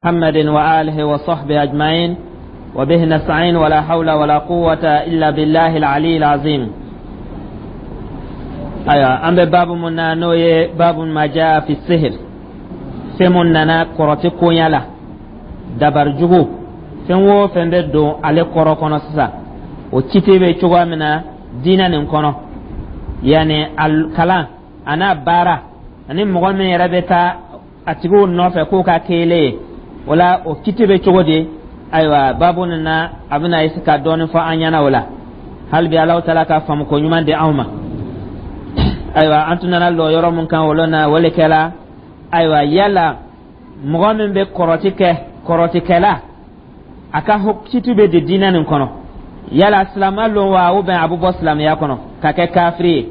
محمد وآله وصحبه أجمعين وبه نستعين ولا حول ولا قوة إلا بالله العلي العظيم. أيوة، أم باب من نوي باب ما جاء في السحر، fɛn mun nana kɔrɔti koɲa la, dabari jugu, fɛn o fɛn bɛ don ale kɔrɔ kɔnɔ sisan, o kiti bɛ cogoya min na diinɛ nin kɔnɔ, yanni a kalan a n'a baara, ani mɔgɔ min yɛrɛ bɛ taa a tigiw nɔfɛ k'o ka kele ye, o la o kiti bɛ cogo di? Ayiwa, baabu nin na, a bɛna ese ka dɔɔnin fɔ an ɲɛna o la. Hali bi Alahu taala ka faamu ko ɲuman di anw ma. Ayiwa, an tun nana lɔ yɔrɔ mun kan o lon na, o le kɛla, ayiwa, yala mɔgɔ min bɛ kɔrɔti kɛ, kɔrɔtikɛla, a ka kiti bɛ di diinɛ nin kɔnɔ? Yala silama lon wa, ou bien a bɛ bɔ silamɛya kɔnɔ ka kɛ kafiri ye?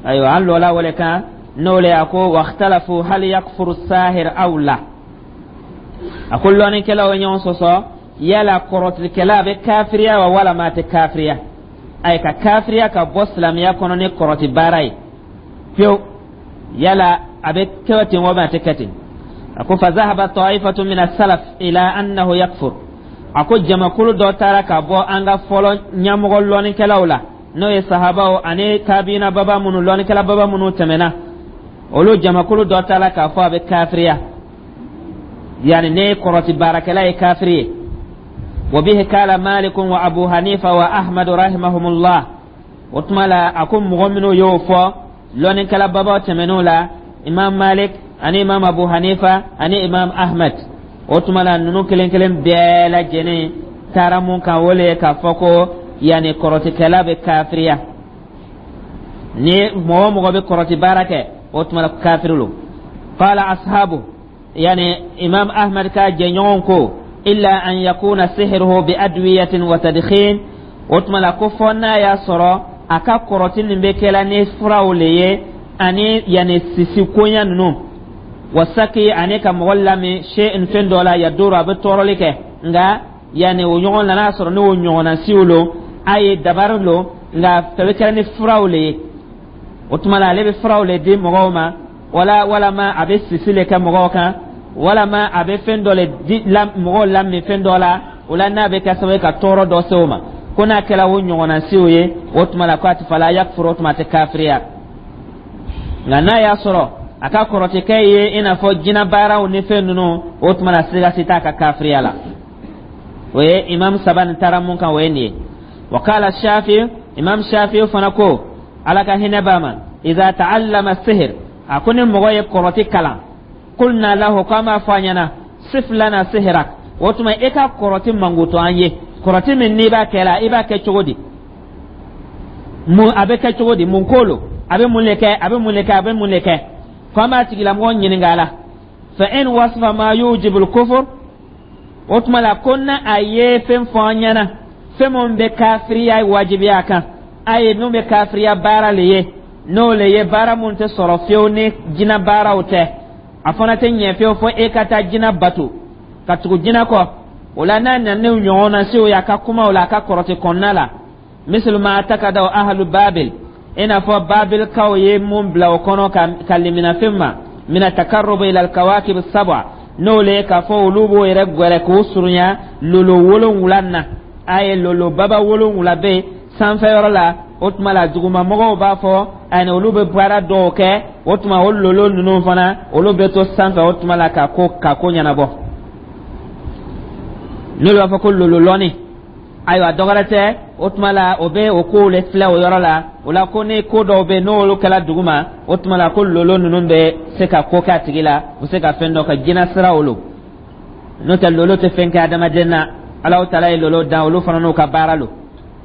Ayiwa, an lɔla o le kan, n'o le a ko: wakhtalafu hal yakfuru sahir aw la. A ko lɔnnikɛlaw ye ɲɔgɔn sɔsɔ, yala kɔrɔtikɛla bɛ kafiriya wa, walama a tɛ kafiriya? Ayi, ka kafiriya ka bɔ silamɛya kɔnɔ ni kɔrɔti baara ye pewu, yala a bɛ kɛ ten wa, a tɛ kɛ ten? A ko: fa zahaba ta'ifatu min as-salaf ila annahu yakfur. A ko jamakulu dɔ taara ka bɔ an ka fɔlɔ ɲɛmɔgɔ lɔnnikɛlaw la, n'o ye sahabaw ani tabiina baba minnu, lɔnnikɛla baba minnu tɛmɛna, olu jamakulu dɔ taara k'a fɔ a bɛ kafiriya, yani ne kɔrɔti baarakɛla ye kafiri ye. Wa bihi kala Malikun wa Abu Hanifa wa Ahmad rahimahumullah. O tuma la, a ko mɔgɔ minnu y'o fɔ lɔnnikɛla babaw tɛmɛn'o la, Imam Malik ani Imam Abu Hanifa ani Imam Ahmad, o tuma la ninnu kelen kelen bɛɛ lajɛlen taara mun kan, o le ye k'a fɔ ko yanni kɔrɔtikɛla bɛ kafiriya. Ni mɔgɔ o mɔgɔ bɛ kɔrɔti baara kɛ, o tuma la kafiri lo. Qala ashabu, yani Imam Ahmad ka jɛɲɔgɔn ko: illa an yakuna sihruhu bi adwiyatin wa tadkhin. O tuma la ko fɔ n'a y'a sɔrɔ a ka kɔrɔti nin bɛ kɛla ni furaw le ye, ani yanni sisi koɲa ninnu, wasaki, ani ka mɔgɔ lamin shay'in, fɛn dɔ la, yaduru, a bɛ tɔɔrɔli kɛ. Nka yanni o ɲɔgɔn la, n'a sɔrɔ n'o ɲɔgɔnna siw lo, a ye dabari lo, nka a bɛ kɛra ni furaw le ye. O tuma la ale bɛ furaw le di mɔgɔw ma, wala walama a bɛ sisi le kɛ mɔgɔw kan, walama a bɛ fɛn dɔ le di la mɔgɔw lamin fɛn dɔ la, o la n'a bɛ kɛ sababu ye ka tɔɔrɔ dɔ se o ma, ko n'a kɛra o ɲɔgɔnna siw ye, o tuma la ko a tɛ fala yakfuru, o tuma a tɛ kafiriya. Nka n'a y'a sɔrɔ a ka kɔrɔtikɛ ye i n'a fɔ jinɛ baaraw ni fɛn ninnu, o tuma la siga si t'a ka kafiriya la. O ye imam saba nin taara mun kan, o ye nin ye. Wa kala Shafi, Imam Shafi fana ko, Ala ka hinɛ b'a ma: iza ta'allama sihir, a ko ni mɔgɔ ye kɔrɔti kalan, kulna lahu, ko an b'a fɔ a ɲɛna: sif lana sihirak. O tuma e ka kɔrɔti mankutu an ye, kɔrɔti min n'i b'a kɛ la, i b'a kɛ cogo di? Mun a bɛ kɛ cogo di? Mun ko lo? A bɛ mun le kɛ? A bɛ mun le kɛ? A bɛ mun le kɛ? Ko an b'a tigilamɔgɔ ɲininka a la. Fa in wasfa ma yujibul kufur, o tuma la ko na a ye fɛn fɔ an ɲɛna, fɛn min bɛ kafiriya wajibiya a kan, a ye min bɛ kafiriya baara le ye, n'o le ye baara mun tɛ sɔrɔ fiyewu ni jinɛ baaraw tɛ, a fana tɛ ɲɛ fiyewu fo e ka taa jinɛ bato ka tugu jinɛ kɔ, o la n'a nana n'o ɲɔgɔnna sew ye a ka kumaw la, a ka kɔrɔti kɔnɔna la, misali ma takadaw ahlu Babil, i n'a fɔ Babilkaw ye mun bila o kɔnɔ ka limina fɛn ma, mina takarrubu ila alkawakib sab'a, n'o le ye k'a fɔ olu b'o yɛrɛ gwɛrɛ k'o surunya lolo 7 na. A ye lolo baba 7 bɛ yen sanfɛ yɔrɔ la, o tuma la dugumamɔgɔw b'a fɔ ani olu bɛ baara dɔw kɛ, o tuma o lolo ninnu fana, olu bɛ to sanfɛ, o tuma la ka ko ɲɛnabɔ, n'olu b'a fɔ ko lolo lɔni. Ayiwa, dɔwɛrɛ tɛ, o tuma la o bɛ o kow le filɛ o yɔrɔ la. O la ko ni ko dɔw bɛ yen n'olu kɛla dugu ma, o tuma la ko lolo ninnu bɛ se ka ko kɛ a tigi la, u bɛ se ka fɛn dɔ ka jinɛ sira olu. N'o tɛ, lolo tɛ fɛn kɛ adamaden na. Alahu taala ye lolo dan, olu fana n'u ka baara lo,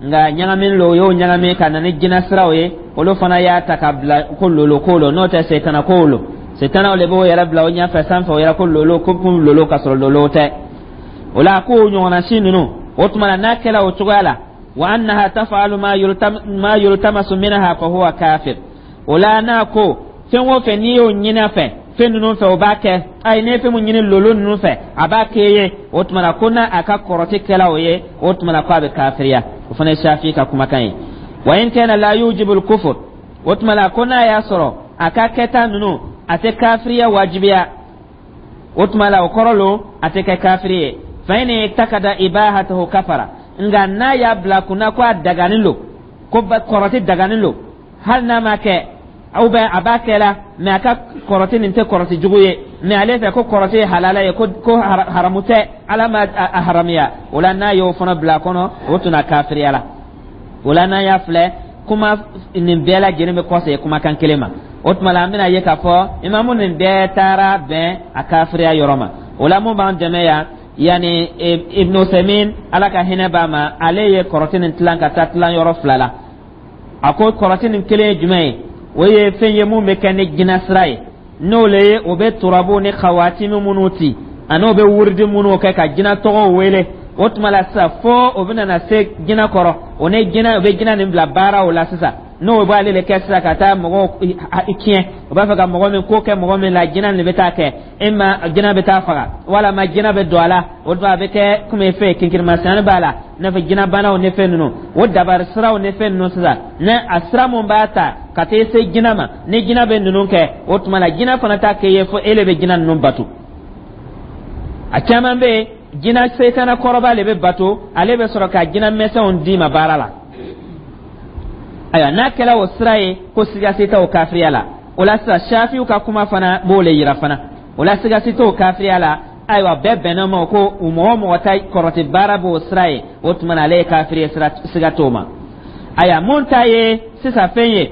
nka ɲagami lo, o y'o ɲagami ka na ni jinɛ siraw ye, olu fana y'a ta ka bila ko lolo ko lo. N'o tɛ, setana kow lo, setanaw le b'o yɛrɛ bila o ɲɛfɛ sanfɛ, o yɛrɛ ko lolo, ko kun lolo, ka sɔrɔ lolo tɛ. O la k'o ɲɔgɔnna si ninnu, o tuma na n'a kɛra o cogoya la, wa annaha taf'alu ma yultamasu minha, fa huwa kafir. O la n'a ko fɛn o fɛn n'i y'o ɲini a fɛ, fɛn ninnu fɛ, o b'a kɛ. Ayi, n'i ye fɛn mun ɲini lolo ninnu fɛ, a b'a kɛ ye. O tuma na ko n'a a ka kɔrɔti kɛla o ye, o tuma na ko a bɛ kafiriya. O fana ye Shafi ka kumakan ye. Wa in kana la yujibu al-kufr, o tuma la ko n'a y'a sɔrɔ a ka kɛta ninnu, a tɛ kafiriya wajibiya. O tuma la, o kɔrɔ lo a tɛ kɛ kafiri ye. Fa in i'taqada ibahatahu kafara. Nka n'a y'a bila kunna ko a daganin lo, ko kɔrɔti daganin lo, hali n'a ma kɛ ou bien a b'a kɛ la, mais a ka kɔrɔti nin tɛ kɔrɔti jugu ye, mais ale fɛ ko kɔrɔti ye halala ye, ko haramu tɛ, Ala ma a haramiya, o la n'a y'o fana bila a kɔnɔ, o tun kafiriya la. O la, n'an y'a filɛ, kuma nin bɛɛ lajɛlen bɛ kɔsegin kumakan kelen ma. O tuma la, an bɛna ye k'a fɔ imamu nin bɛɛ taara bɛn a kafiriya yɔrɔ ma. O la, mun b'an dɛmɛ yan, yanni Ibn Usaymin, Ala ka hinɛ b'a ma, ale ye kɔrɔti nin tilan ka taa tilan yɔrɔ fila la. A ko kɔrɔti nin kelen ye jumɛn ye? O ye fɛn ye mun bɛ kɛ ni jinɛ sira ye, n'o le ye o bɛ turabu ni kawatimi minnu ci, ani o bɛ wurudi minnu kɛ ka jinɛ tɔgɔw wele. O tuma la sisan, fo o bɛna na se jinɛ kɔrɔ, o ni jinɛ, o bɛ jinɛ nin bila baaraw la sisan, n'o b'ale de kɛ sisan ka taa mɔgɔw tiɲɛ. O b'a fɛ ka mɔgɔ min ko kɛ mɔgɔ min la, jinɛ nin bɛ taa kɛ e ma, jinɛ bɛ taa faga walama jinɛ bɛ don a la. O tuma, a bɛ kɛ komi fɛn kinkirimasiyɛn b'a la, i n'a fɔ jinɛbanaw ni fɛn ninnu, o dabari siraw ni fɛn ninnu sisan, ni a sira mun b'a ta ka taa se jinɛ ma, ni jinɛ bɛ ninnu kɛ, o tuma la jinɛ fana t'a kɛ ye fo e le bɛ jinɛ ninnu bato. A caman bɛ yen, jinɛ setana kɔrɔba le bɛ bato, ale bɛ sɔrɔ ka jinɛ mɛsɛnw d'i ma baara la. Ayiwa, n'a kɛra o sira ye, ko siga si tɛ o kafiriya la. O la sisan, Shafiw ka kuma fana b'o le yira fana. O la, siga si t'o kafiriya la. Ayiwa, bɛɛ bɛnna ma ko mɔgɔ o mɔgɔ ta kɔrɔti baara b'o sira ye, o tuma na ale ye kafiri ye, sira siga t'o ma. Ayiwa, mun ta ye sisan fɛn ye,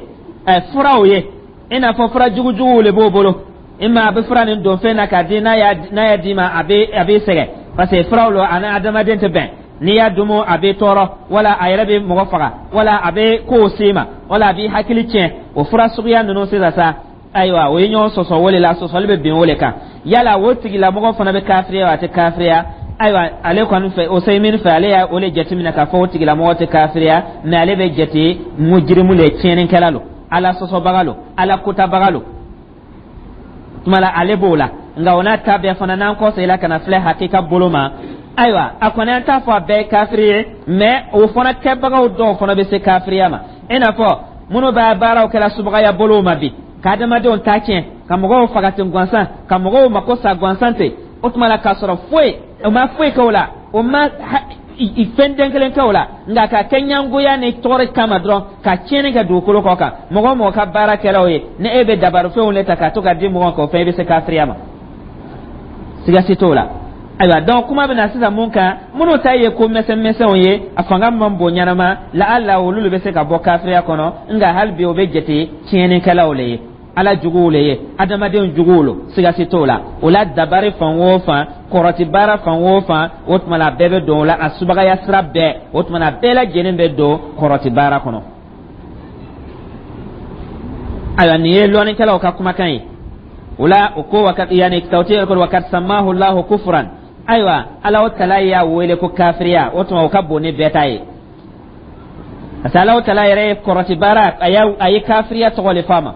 furaw ye, i n'a fɔ fura jugujuguw le b'o bolo i ma, a bɛ fura nin don fɛn na k'a di, n'a y'a d'i ma, a bɛ sɛgɛn, parce que furaw lo, ani adamaden tɛ bɛn. N'i y'a dumu, a bɛ tɔɔrɔ, wala a yɛrɛ bɛ mɔgɔ faga, wala a bɛ kow s'i ma, wala a b'i hakili tiɲɛ. O fura suguya ninnu sisan sa, ayiwa, o ye ɲɔgɔn sɔsɔ o de la, sɔsɔli bɛ bin o de kan. Yala o tigilamɔgɔ fana bɛ kafiriya wa, a tɛ kafiriya? Ayiwa, ale kɔni fɛ, o Usaymin fɛ, ale y'a o de jateminɛ k'a fɔ o tigilamɔgɔ tɛ kafiriya, mais ale bɛ jate mujirimu le, tiɲɛnikɛla lo, Ala sɔsɔbaga lo, Ala kotabaga lo. Tuma la, ale b'o la. Nka o n'a ta bɛɛ fana, n'an kɔsegin ka na filɛ hakika bolo ma, ayiwa, a kɔni, an t'a fɔ a bɛɛ ye kafiri ye, mais o fana kɛbagaw dɔw fana bɛ se kafiriya ma, i n'a fɔ minnu b'a baaraw kɛla subagaya bolow ma bi, ka adamadenw ta tiɲɛ, ka mɔgɔw faga ten gansan, ka mɔgɔw mako sa gansan ten. O tuma la, k'a sɔrɔ foyi o ma foyi kɛ o la, o ma fɛn den kelen kɛ o la, nka ka kɛ ɲangoya ni tɔɔrɔ kama dɔrɔn, ka tiɲɛni kɛ dugukolo kɔ kan. Mɔgɔ o mɔgɔ ka baara kɛra o ye, ni e bɛ dabarifɛnw le ta ka to ka di mɔgɔ kan, o fɛn i bɛ se kafiriya ma, siga si t'o la. Ayiwa, donc kuma bɛ na sisan mun kan? Minnu ta ye ko misɛn misɛnw ye, a fanga man bon ɲɛnama la, ala olu de bɛ se ka bɔ kafiriya kɔnɔ. Nka hali bi, o bɛ jate tiɲɛnikɛlaw le ye, Ala juguw le ye, adamadenw juguw lo, siga si t'o la. O la, dabari fan o fan, kɔrɔti baara fan o fan, o tuma la a bɛɛ bɛ don o la, a subagaya sira bɛɛ, o tuma la a bɛɛ lajɛlen bɛ don kɔrɔti baara kɔnɔ. Ayiwa, nin ye lɔnnikɛlaw ka kumakan ye. O la, o ko yani tawti ko وقد سماه الله كفرا. Ayiwa, Ala o tala y'a wele ko kafiriya. O tuma, o ka bon ni bɛɛ ta ye, parce que Ala o tala yɛrɛ ye kɔrɔti baara, a ye kafiriya tɔgɔ le f'a ma.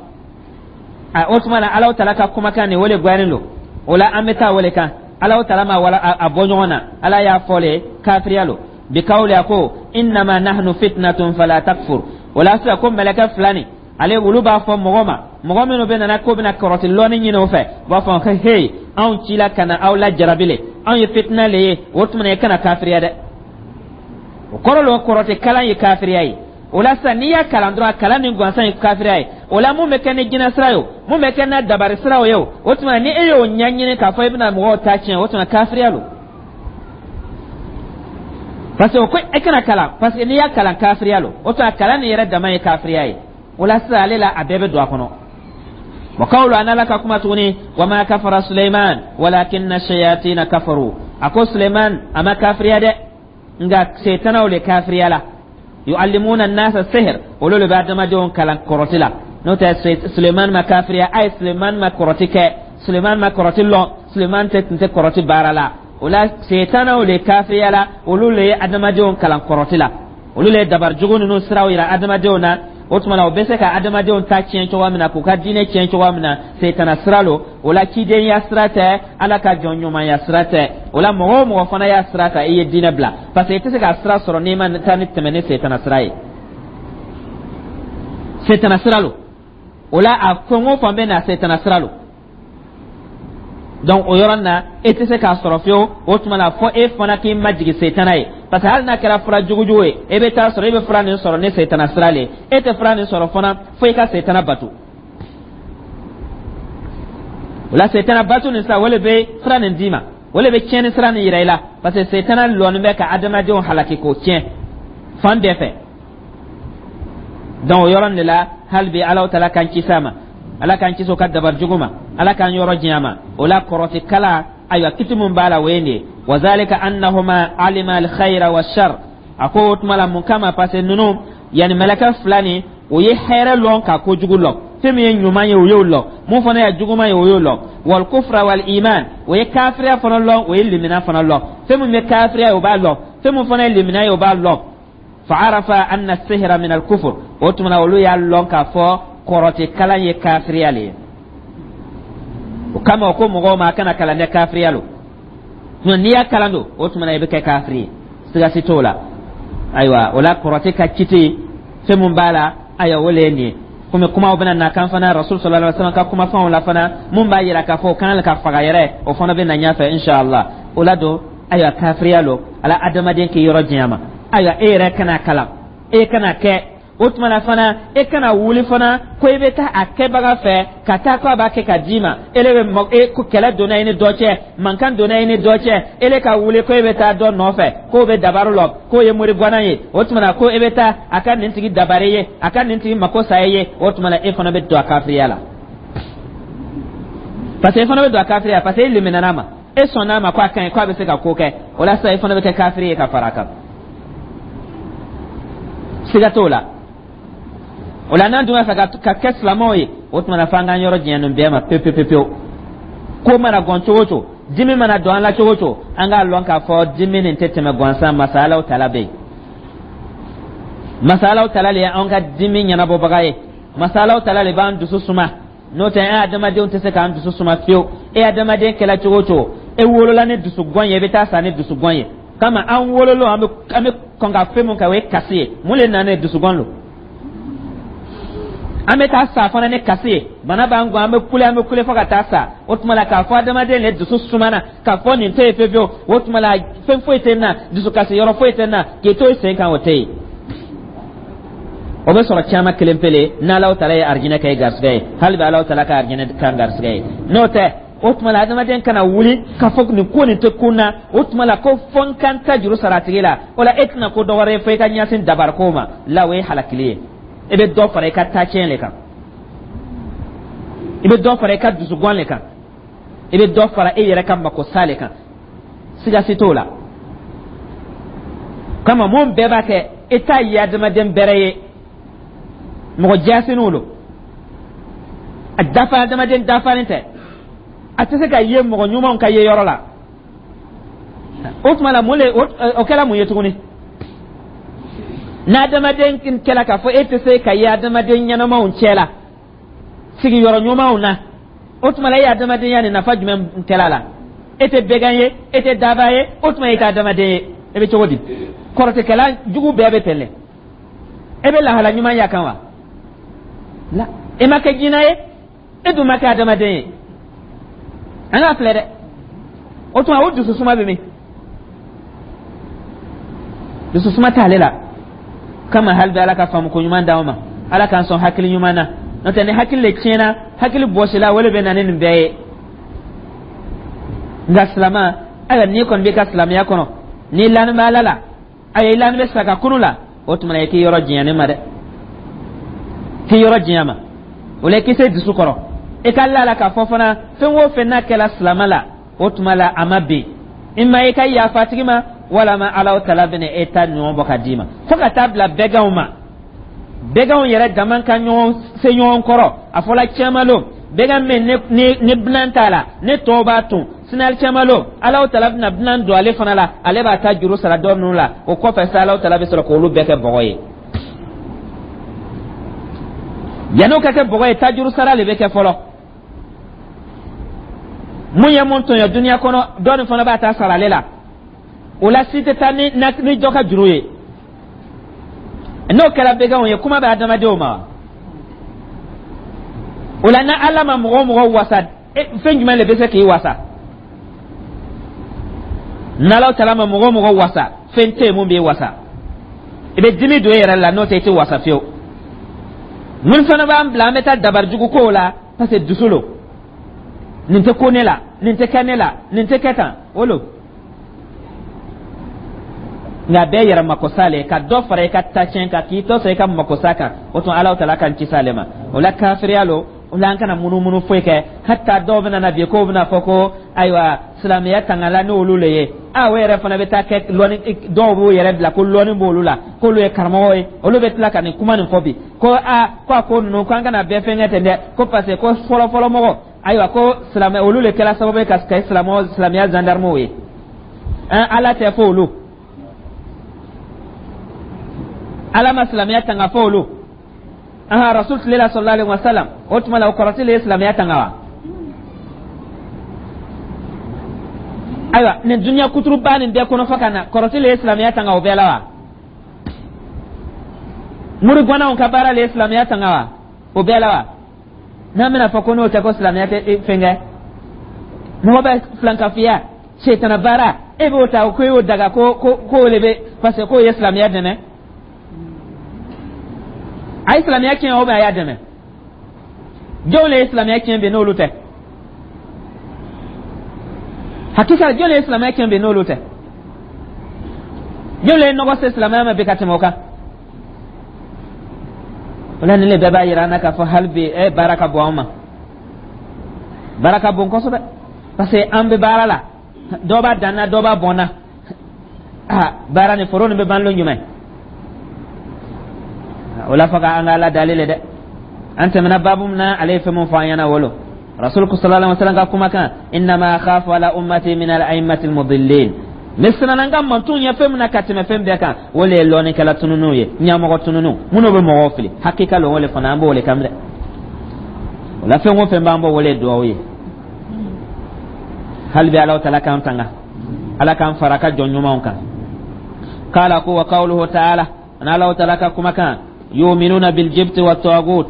O tuma na, Ala o tala ka kumakan nin, o le gbɛnnen don. O la, an bɛ taa o le kan. Ala o tala ma wala a bɔ ɲɔgɔn na, Ala y'a fɔ le kafiriya lo بقوله, a ko: إنما نحن فتنة فلا تكفر. O la sisan, ko mɛlɛkɛ fila nin, ale olu b'a fɔ mɔgɔ ma, mɔgɔ minnu bɛ nana k'o bɛna kɔrɔti lɔnni ɲini o fɛ, u b'a fɔ ko: "Hey, anw cila ka na aw la jarabi le, anw ye fitina le ye, o tuma na i kana kafiriya dɛ." O kɔrɔ lo, kɔrɔti kalan ye kafiriya ye. O la sisan, n'i y'a kalan dɔrɔn, a kalan ni gansan ye kafiriya ye. O la, mun bɛ kɛ ni jinɛ sira ye, o mun bɛ kɛ n'a dabari siraw ye, o tuma ni e y'o ɲɛɲini k'a fɔ i bɛna mɔgɔw ta tiɲɛ, o tuma kafiriya lo, parce que o ko e kana kalan, parce que n'i y'a kalan, kafiriya lo. O tuma, kalan nin yɛrɛ dama ye kafiriya ye. O la sisan, ale la, a bɛɛ bɛ don a kɔnɔ. وقوله, an Ala ka kuma tuguni: وما كفر سليمان ولكن الشياطين كفروا. A ko Suleiman a ma kafiriya dɛ, nka setanaw le kafiriya la. يعلمون الناس السحر, olu le bɛ adamadenw kalan kɔrɔti la. N'o tɛ, Suleiman ma kafiriya. A ye Suleiman ma kɔrɔti kɛ, Suleiman ma kɔrɔti lɔn, Suleiman tɛ tun tɛ kɔrɔti baara la. O la, setanaw le kafiriya la, olu le ye adamadenw kalan kɔrɔti la, olu le ye dabarijugu ninnu siraw yira adamadenw na. O tuma na, o bɛ se ka adamadenw ta tiɲɛ cogoya min na, k'u ka diinɛ tiɲɛ cogoya min na, setana sira lo. O la, cidenya sira tɛ, Ala ka jɔn ɲumanya sira tɛ. O la, mɔgɔ o mɔgɔ fana y'a sira ta, i ye diinɛ bila, parce que i tɛ se ka sira sɔrɔ n'i ma taa ni tɛmɛ ni setana sira ye. Setana sira lo. O la, a fɛn o fɛn bɛ na, setana sira lo. Donc o yɔrɔ na, e tɛ se k'a sɔrɔ fiyewu. O tuma la, fɔ e fana k'i majigin setana ye, parce que hali n'a kɛra fura jugujugu ye, e bɛ taa sɔrɔ e bɛ fura nin sɔrɔ ni setana sira le ye. E tɛ fura nin sɔrɔ fana fo i ka setana bato. O la, setana bato nin sisan, o le bɛ fura nin d'i ma, o le bɛ tiɲɛni sira nin yira i la, parce que setana lɔnni bɛ ka adamadenw halaki k'o tiɲɛ fan bɛɛ fɛ. Donc o yɔrɔ de la, hali bi Alahu Taala k'an kisi a ma, Ala k'an kisi o ka dabari jugu ma, Ala k'an yɔrɔ janya ma. O la, kɔrɔtikala, ayiwa, kiti mun b'a la, o ye nin ye. Wa zalika annahuma alima alkhayra wa shar. A ko o tuma la, mun kama? Parce que ninnu, yani mɛlɛkɛ fila nin, o ye hɛrɛ lɔn ka kojugu lɔn. Fɛn min ye ɲuman ye, o y'o lɔn. Mun fana ye juguman ye, o y'o lɔn. Wal kufra wal iman, o ye kafiriya fana lɔn, o ye limina fana lɔn. Fɛn min bɛ kafiriya ye, o b'a lɔn. Fɛn min fana ye limina ye, o b'a lɔn. Fa'arafa anna sihra min al-kufr. O tuma na, olu y'a lɔn k'a fɔ kɔrɔtɛ kalan ye kafiriya le ye. O kama, o ko mɔgɔw ma, a kana kalan dɛ, kafiriya lo. N'i y'a kalan don, o tuma na i bɛ kɛ kafiri ye, siga si t'o la. Ayiwa, o la, kɔrɔtɛ ka kiti, fɛn mun b'a la, ayiwa, o le ye nin ye. Komi kumaw bɛna na kan fana, Rasul sallallahu alaihi wasallam ka kumakanw la fana, mun b'a yira k'a fɔ o kan ka faga yɛrɛ, o fana bɛ na ɲɛfɛ inshallah. O la don, ayiwa, kafiriya lo. Ala adamaden k'i yɔrɔ janya ma. Ayiwa, e yɛrɛ kana kalan, e kana kɛ. O tuma na fana, e kana wuli fana ko i bɛ taa a kɛbaga fɛ ka taa ko a b'a kɛ ka d'i ma. E le bɛ e ko kɛlɛ donna i ni dɔ cɛ, mankan donna i ni dɔ cɛ, e le ka wuli ko e bɛ taa dɔ nɔfɛ k'o bɛ dabaru lɔ, k'o ye mori gwana ye. O tuma na, ko e bɛ taa a ka nin tigi dabari ye, a ka nin tigi mako sa ye. O tuma na, e fana bɛ don a kafiriya la, parce que e fana bɛ don a kafiriya, parce que e liminana ma, e sɔnna a ma ko a ka ɲi, ko a bɛ se ka ko kɛ. O la sisan, e fana bɛ kɛ kafiri ye ka fara a kan, siga t'o la. O la, n'an dun b'a fɛ ka kɛ silamɛw ye, o tuma na, f'an k'an yɔrɔ janya nin bɛɛ ma pewu pewu pewu. Ko mana gɔn cogo o cogo, dimi mana don an la cogo o cogo, an k'a lɔn k'a fɔ dimi nin tɛ tɛmɛ gansan. Masa Alaw Tala bɛ yen, masa Alaw Tala le ye anw ka dimi ɲɛnabɔbaga ye, masa Alaw Tala le b'an dusu suma. N'o tɛ, e adamadenw tɛ se k'an dusu suma fiyewu. E adamaden kɛla cogo o cogo, e wolola ni dusugɔn ye, i bɛ taa sa ni dusugɔn ye. Kama an wololo, an bɛ kɔn ka fɛn mun kɛ, o ye kasi ye. Mun le nana ye? Dusugɔn lo. An bɛ taa sa fana ni kasi ye. Bana b'an gɔn, an bɛ kule, an bɛ kule fo ka taa sa. O tuma la, k'a fɔ adamaden le dusu sumana, k'a fɔ nin tɛ yen fiyewu fiyewu, o tuma la, fɛn foyi tɛ n na, dusukasi yɔrɔ foyi tɛ n na, k'i to i sen kan, o tɛ yen. O bɛ sɔrɔ caman kelen pele n'Alaw Tala ye arijinɛ kɛ garisɛgɛ ye. Hali bɛ Alaw Tala ka arijinɛ kan garisɛgɛ ye. N'o tɛ, o tuma la, adamaden kana wuli k'a fɔ nin ko nin tɛ kun na. O tuma la, ko fɔ n ka n ta juru sara a tigi la. O la, e tɛna ko dɔ wɛrɛ ye fo i ka ɲɛsin dabariko ma la. O ye halakili ye. E bɛ dɔ fara i ka taacɛn le kan, i bɛ dɔ fara i ka dusugɔn le kan, i bɛ dɔ fara e yɛrɛ ka makosa le kan, siga si t'o la. Kama mun bɛɛ b'a kɛ, e t'a ye adamaden bɛrɛ ye, mɔgɔ jaasiniw lo. A dafa, adamaden dafalen tɛ, a tɛ se ka ye mɔgɔ ɲumanw ka ye yɔrɔ la. O tuma la, mun le o kɛra mun ye tuguni? N'adamaden kɛla k'a fɔ e tɛ se ka ye adamaden ɲɛnamaw cɛ la, sigiyɔrɔ ɲumanw na, o tuma la, e ye adamadenya nin nafa jumɛn kɛla la? E tɛ bɛgan ye, e tɛ daba ye, o tuma e tɛ adamaden ye. E bɛ cogo di? Kɔrɔtɛkɛla jugu bɛɛ bɛ tɛlɛ. E bɛ lahala ɲuman ya kan wa? La, e ma kɛ jinɛ ye, e dun ma kɛ adamaden ye. An k'a filɛ dɛ. O tuma, o dususuma bɛ min? Dususuma t'ale la. Kama hali bɛ Ala ka faamuko ɲuman d'anw ma, Ala k'an sɔn hakili ɲuman na. N'o tɛ, ni hakili le tiɲɛna, hakili bɔsila, o le bɛ na ni nin bɛɛ ye. Nka silama, ayiwa, n'i kɔni b'i ka silamɛya kɔnɔ, n'i lani bɛ Ala la, ayiwa, i lani bɛ sa ka kunu la, o tuma na, i k'i yɔrɔ janya ne ma dɛ, k'i yɔrɔ janya ma. O la, i k'i se dusu kɔrɔ, i ka la la k'a fɔ fana, fɛn o fɛn n'a kɛla silama la, o tuma la, a ma bin i ma, i ka yafa tigi ma, walama Ala Tala bɛna e ta ɲɔgɔn bɔ ka d'i ma. Fo ka taa bila bɛganw ma, bɛganw yɛrɛ dama ka ɲɔgɔn se ɲɔgɔn kɔrɔ. A fɔla caman lo, bɛgan min ni bilan t'a la, ne tɔw b'a tun sinali caman lo, Ala Tala bɛna bilan don ale fana la, ale b'a ta juru sara dɔ ninnu la. O kɔfɛ sa, Ala Tala bɛ sɔrɔ k'olu bɛɛ kɛ bɔgɔ ye. Yan'o ka kɛ bɔgɔ ye, tajuru sara le bɛ kɛ fɔlɔ. Mun ye mun tɔɲɔ duniya kɔnɔ, dɔ nin fana b'a ta sara ale la. O la, si tɛ taa ni dɔ ka juru ye. N'o kɛra bɛganw ye, kuma bɛ adamadenw ma. O la, ni Ala ma mɔgɔ o mɔgɔ wasa, fɛn jumɛn de bɛ se k'i wasa? N'Ala taala ma mɔgɔ o mɔgɔ wasa, fɛn tɛ yen mun b'i wasa. I bɛ dimi don e yɛrɛ la, n'o tɛ i tɛ wasa fiyewu. Mun fana b'an bila an bɛ taa dabarijugu kow la? Parce que dusu lo, nin tɛ ko ne la, nin tɛ kɛ ne la, nin tɛ kɛ tan, o lo. Nka bɛɛ yɛrɛ makosa le, ka dɔ fara i ka tacɛn kan, k'i tɔ sɔrɔ i ka makosa kan. O tuma Ala taala k'an kisi ale ma. O la kafiriya lo. O la an kana munumunu foyi kɛ. Hata dɔw bɛna na bi k'o bɛna fɔ ko ayiwa, silamɛya tangala n'olu le ye. A o yɛrɛ fana bɛ taa kɛ lɔnni. Dɔw b'u yɛrɛ bila ko lɔnni b'olu la, k'olu ye karamɔgɔ ye. Olu bɛ tila ka nin kuma nin fɔ bi ko aa, ko a ko ninnu, ko an kana bɛɛ fɛnkɛ ten dɛ, ko parce que ko fɔlɔ fɔlɔ mɔgɔ, ayiwa, ko silamɛ olu le kɛra sababu ye ka kɛ silamɛ silamɛya zandarmew ye. An Ala tɛ fɔ olu, Ala ma silamɛya tanga fɔ olu. Aha, Rasul tile la, sallallahu alaihi wasallam, o tuma la o kɔrɔti le ye silamɛya tanga wa? Ayiwa, nin duniya kuturuba nin bɛɛ kɔnɔ fɔ ka na, kɔrɔti le ye silamɛya tanga o bɛɛ la wa? Murigwanaw ka baara le ye silamɛya tanga wa o bɛɛ la wa? N'an bɛna fɔ ko n'o tɛ ko silamɛya tɛ fɛn kɛ, mɔgɔ bɛ filankafiya, setana baara, e b'o ta ko e y'o daga, ko ko k'o de bɛ, parce que k'o ye silamɛya dɛmɛ. A ye silamɛya tiɲɛ o bɛ a y'a dɛmɛ? Jɔn le ye silamɛya tiɲɛ bi n'olu tɛ? Hakika, jɔn le ye silamɛya tiɲɛ bi n'olu tɛ? Jɔn le ye nɔgɔ se silamɛya ma bi ka tɛmɛ o kan? O la nin le bɛɛ b'a yira an na k'a fɔ hali bi baara ka bon an ma, baara ka bon kosɛbɛ, parce que an bɛ baara la, dɔ b'a dan na, dɔ b'a bɔn na. Aa, baara ni foro nin bɛ ban lon jumɛn? O la fɔ ka an ka Ala dali le dɛ. An tɛmɛna baabu min na, ale ye fɛn mun fɔ an ɲɛna, wolo Rasul sallallahu alaihi wasallam ka kumakan: innama akhafu ala ummati min al a'immati al mudillin. Ne siranna n ka mantonw ɲɛ fɛn min na ka tɛmɛ fɛn bɛɛ kan, o le ye lɔnnikɛla tununniw ye, ɲɛmɔgɔ tununniw minnu bɛ mɔgɔw fili. Hakika lo, o le fana an b'o le kan dɛ. O la fɛn o fɛn b'an bɔ, o le ye duwawu ye. Hali bi Ala taala k'an tanga, Ala k'an fara ka jɔn ɲumanw kan. Kala ko wa qawluhu ta'ala, ani Ala taala ka kumakan: yu'minuna bil jibti wa tagut.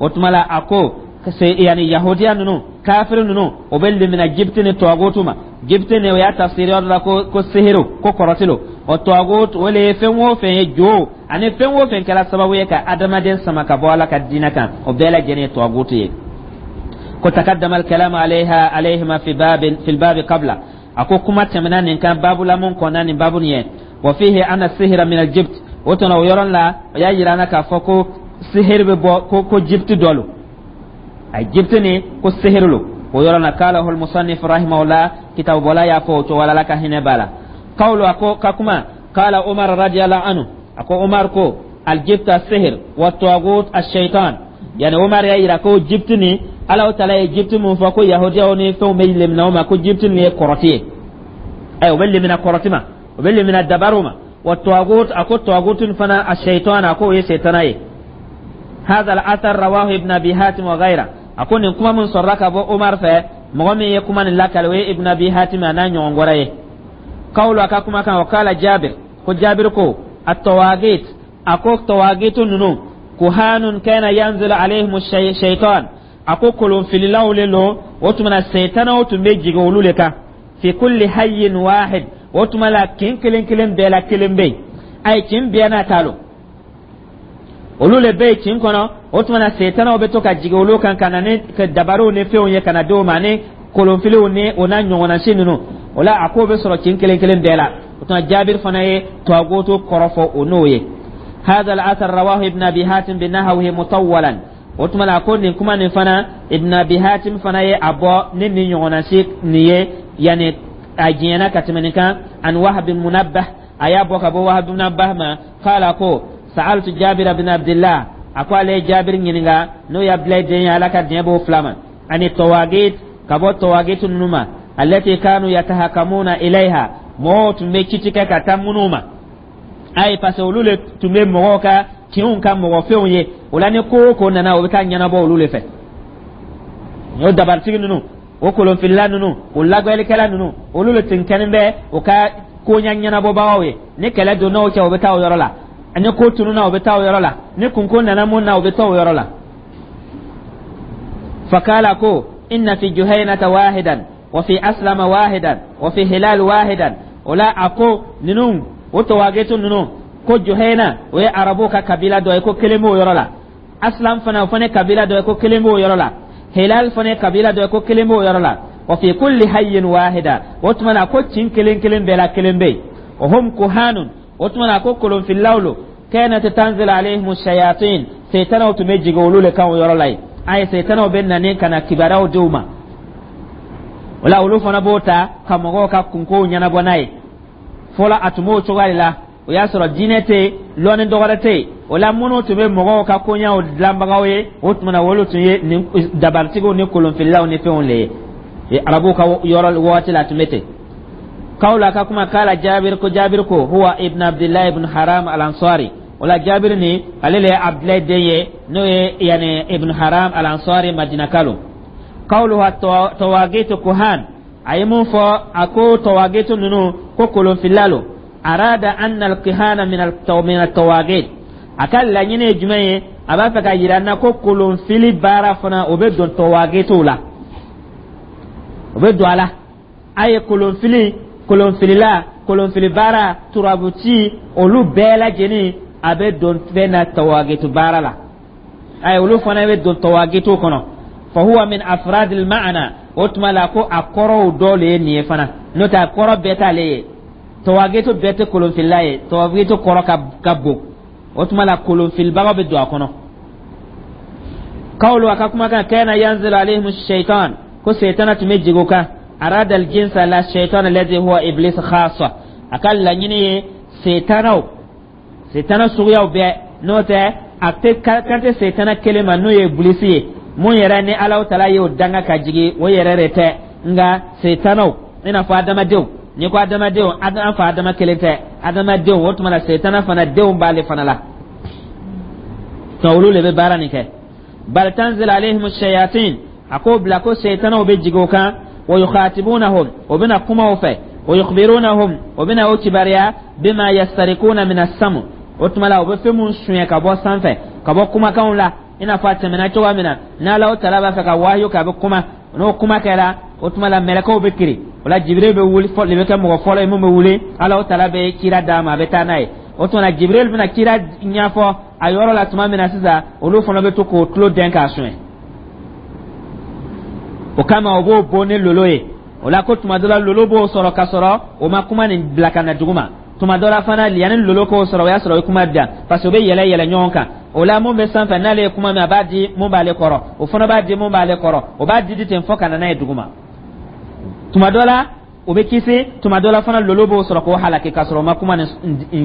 O tuma la a ko yani yahudiya ninnu, kafiri ninnu, o bɛ limina jibiti ni tagutu ma. Jibiti ni o y'a tafsiri yɔrɔ la ko ko sihiru, ko kɔrɔti lo. O tagut, o le ye fɛn o fɛn ye jo ani fɛn o fɛn kɛra sababu ye ka adamaden sama ka bɔ Ala ka diinɛ kan, o bɛɛ lajɛlen ye tagutu ye. Ko takaddama alkalam alayha alayhima fi babin fi albabi qabla. A ko kuma tɛmɛna nin kan babu la mun kɔnna nin babu nin ye. Wa fihi anna sihira min aljibt. O tɔnɔ o yɔrɔ la, o y'a yira an na k'a fɔ ko sihiri bɛ bɔ ko ko jibiti dɔ lo, a jibiti ni ko sihiri lo o yɔrɔ la. Kala hul musannif rahimahullah, kitabu bɔla y'a fɔ o cogo la, Ala ka hinɛ b'a la. Qawlu, a ko ka kuma: kala Umar radiyallahu anhu, a ko Umar ko aljibt asihir wa tagut ashaitan. Yani Umar y'a yira ko jibiti ni Ala taala ye jibiti mun fɔ ko yahudiyaw ni fɛnw bɛ lemina o ma, ko jibiti nin ye kɔrɔti ye. Ayi, o bɛ lemina kɔrɔti ma, o bɛ lemina dabariw ma. Wa tagut, a ko tagut fana ashaitan, a ko o ye setana ye. هذا الأثر رواه ابن أبي حاتم وغيره. A ko nin kuma min sɔrɔla ka bɔ Omar fɛ, mɔgɔ min ye kuma nin lakale, o ye Ibn Abi Hatim a n'a ɲɔgɔn wɛrɛ ye. Kawlu, a ka kuma kan: wa kala Jabir, ko Jabir ko at-tawagit, a ko tawagitu ninnu, kuhanun kana yanzilu alayhim shaytan, a ko kolonfililaw le lo. O tuma na seytanaw tun bɛ jigin olu le kan. Fi kulli hayyin wahid, o tuma la kin kelen kelen bɛɛ la kelen bɛ yen. A ye kin bɛɛ n'a ta lo, olu le bɛ yen kin kɔnɔ. O tuma na setanaw bɛ to ka jigin olu kan ka na ni dabariw ni fɛnw ye ka na d'o ma, ni kolonfiliw ni o n'a ɲɔgɔnna si ninnu. O la a k'o bɛ sɔrɔ kin kelen kelen bɛɛ la. O tuma Jaabiri fana ye tagutu kɔrɔfɔ o n'o ye. هذا الأثر رواه ابن أبي حاتم بنحوه مطولا. O tuma la ko nin kuma nin fana, Ibn Abi Hatim fana ye a bɔ ni nin ɲɔgɔnna si nin ye, yani a diɲɛna ka tɛmɛ nin kan. An Wahab bin Munabbah, a y'a bɔ ka bɔ Wahab bin Munabbah ma, kala ko sa'altu Jabir bin Abdullah, a ko ale ye Jabir ɲininka, n'o ye Abdulayi den ye, Ala ka diɲɛ b'o fila ma, ani tawagit, ka bɔ tawagit ninnu ma, allati kanu yatahakamuna ilayha, mɔgɔw tun bɛ kiti kɛ ka taa minnu ma. Ayi, parce que olu le tun bɛ mɔgɔw ka kinw ka mɔgɔ fɛnw ye. O la ni ko o ko nana, o bɛ taa ɲɛnabɔ olu le fɛ. O dabaritigi ninnu, o kolonfilila ninnu, o lagɛlikɛla ninnu, olu le tun kɛlen bɛ o ka koɲa ɲɛnabɔbagaw ye. Ni kɛlɛ donna o cɛ, o bɛ taa o yɔrɔ la. Ni ko tununa, o bɛ taa o yɔrɔ la. Ni kunko nana mun na, o bɛ taa o yɔrɔ la. Fakala ko inna fi Juhaynata wahidan wa fi Aslama wahidan wa fi Hilal wahidan. O la, a ko ninnu, o tawagitu ninnu, ko Juhayna, o ye Arabuw ka kabila dɔ ye, ko kelen b'o yɔrɔ la. Aslam fana, o fana ye kabila dɔ ye, ko kelen b'o yɔrɔ la. Hilal fana ye kabila dɔ ye, ko kelen b'o yɔrɔ la. Wa fi kulli hayyin wahida. O tuma na, ko kin kelen kelen bɛɛ la kelen bɛ yen. Wa hum kuhanun. O tuma na, ko kolonfililaw lo. Kanat tanzil alayhim shayatin, seytanaw tun bɛ jigin olu le kan o yɔrɔ la yen. A ye seytanaw bɛ na ka na kibaruyaw di u ma. O la, olu fana b'o ta ka mɔgɔw ka kunkow ɲɛnabɔ n'a ye. Fɔlɔ, a tun b'o cogoya de la. O y'a sɔrɔ diinɛ tɛ yen, lɔnni dɔgɔrɛ tɛ yen. O la, minnu tun bɛ mɔgɔw ka koɲɛw dilanbagaw ye, o tuma na, olu tun ye nin dabaritigiw ni kolonfililaw ni fɛnw le ye. Arabuw ka yɔrɔ waati la, a tun bɛ ten. Kawla ka kuma kala Jabir, ko Jabir ko huwa ibn Abdullah ibn Haram al-Ansari. O la, Jabir ni ale le ye Abdulayi den ye, n'o ye yani ibn Haram al-Ansari, Madinaka lo. Kawluha tawagitu kuhan, a ye mun fɔ? A ko tawagitu ninnu, ko kolonfilila lo. Arada anna al-kihana min al-tawagit. A ka laɲini ye jumɛn ye? A b'a fɛ ka yira n na ko kolonfili baara fana, o bɛ don tawagituw la, o bɛ don a la. A ye kolonfili, kolonfilila, kolonfili baara, turabuci, olu bɛɛ lajɛlen, a bɛ don fɛn na, tawagitu baara la. A ye olu fana bɛ don tawagitu kɔnɔ. Fa huwa min afradil ma'ana. O tuma la, ko a kɔrɔw dɔ le ye nin ye fana, n'o tɛ a kɔrɔ bɛɛ t'ale ye. Tawagitu bɛɛ tɛ kolonfilila ye. Tawagitu kɔrɔ ka bon. O tuma la, kolonfilibagaw bɛ don a kɔnɔ. Kawlu, a ka kumakan, kana yanzilu alayhim shaitan, ko seitana tun bɛ jigin o kan. Arada aljinsa la shaitan alladhi huwa iblis khassa. A ka laɲini ye seitanaw, seitana suguyaw bɛɛ, n'o tɛ a tɛ kan tɛ seitana kelen ma, n'o ye Ibilisi ye, mun yɛrɛ ni Alahu Taala y'o danga ka jigin, o yɛrɛ de tɛ. Nka seitanaw, i n'a fɔ adamadenw, n'i ko adamadenw, an fa Adama kelen tɛ adamadenw. O tuma na, seitana fana denw b'ale fana la, nka olu de bɛ baara nin kɛ. Bal tanzil alayhim shayatin, a k'o bila ko seitanaw bɛ jigin o kan. Wa yukhatibunahum, o bɛna kuma o fɛ. Wa yukhbirunahum, o bɛna o kibaruya. Bima yastarikuna min as-sam, o tuma la, o bɛ fɛn mun suɲɛ ka bɔ sanfɛ, ka bɔ kumakanw la, i n'a fɔ a tɛmɛna cogoya min na. N'Alahu Taala b'a fɛ ka wahiyu kɛ, a bɛ kuma. N'o kuma kɛra, o tuma la, mɛlɛkɛw bɛ kiri. O la, Jibiril bɛ wuli fɔ, de bɛ kɛ mɔgɔ fɔlɔ ye mun bɛ wuli. Alahu Taala bɛ kira d'a ma, a bɛ taa n'a ye. O tuma la, Jibiril bɛna kira ɲɛfɔ a yɔrɔ la tuma min na sisan, olu fana bɛ to k'o tulo dɛn k'a suɲɛ. O kama, o b'o bon ni lolo ye. O la, ko tuma dɔ la, lolo b'o sɔrɔ ka sɔrɔ o ma kuma nin bila ka na dugu ma. Tuma dɔ la fana, yanni lolo k'o sɔrɔ, o y'a sɔrɔ o ye kuma di yan, parce que o bɛ yɛlɛ yɛlɛ ɲɔgɔn kan. O la, mun bɛ sanfɛ, n'ale ye kuma min, a b'a di mun b'ale kɔrɔ, o fana b'a di mun b'ale kɔrɔ, o b'a di di ten fo ka na n'a ye dugu ma. Tuma dɔ la, o bɛ kisi. Tuma dɔ la fana, lolo b'o sɔrɔ k'o halaki k'a sɔrɔ o ma kuma nin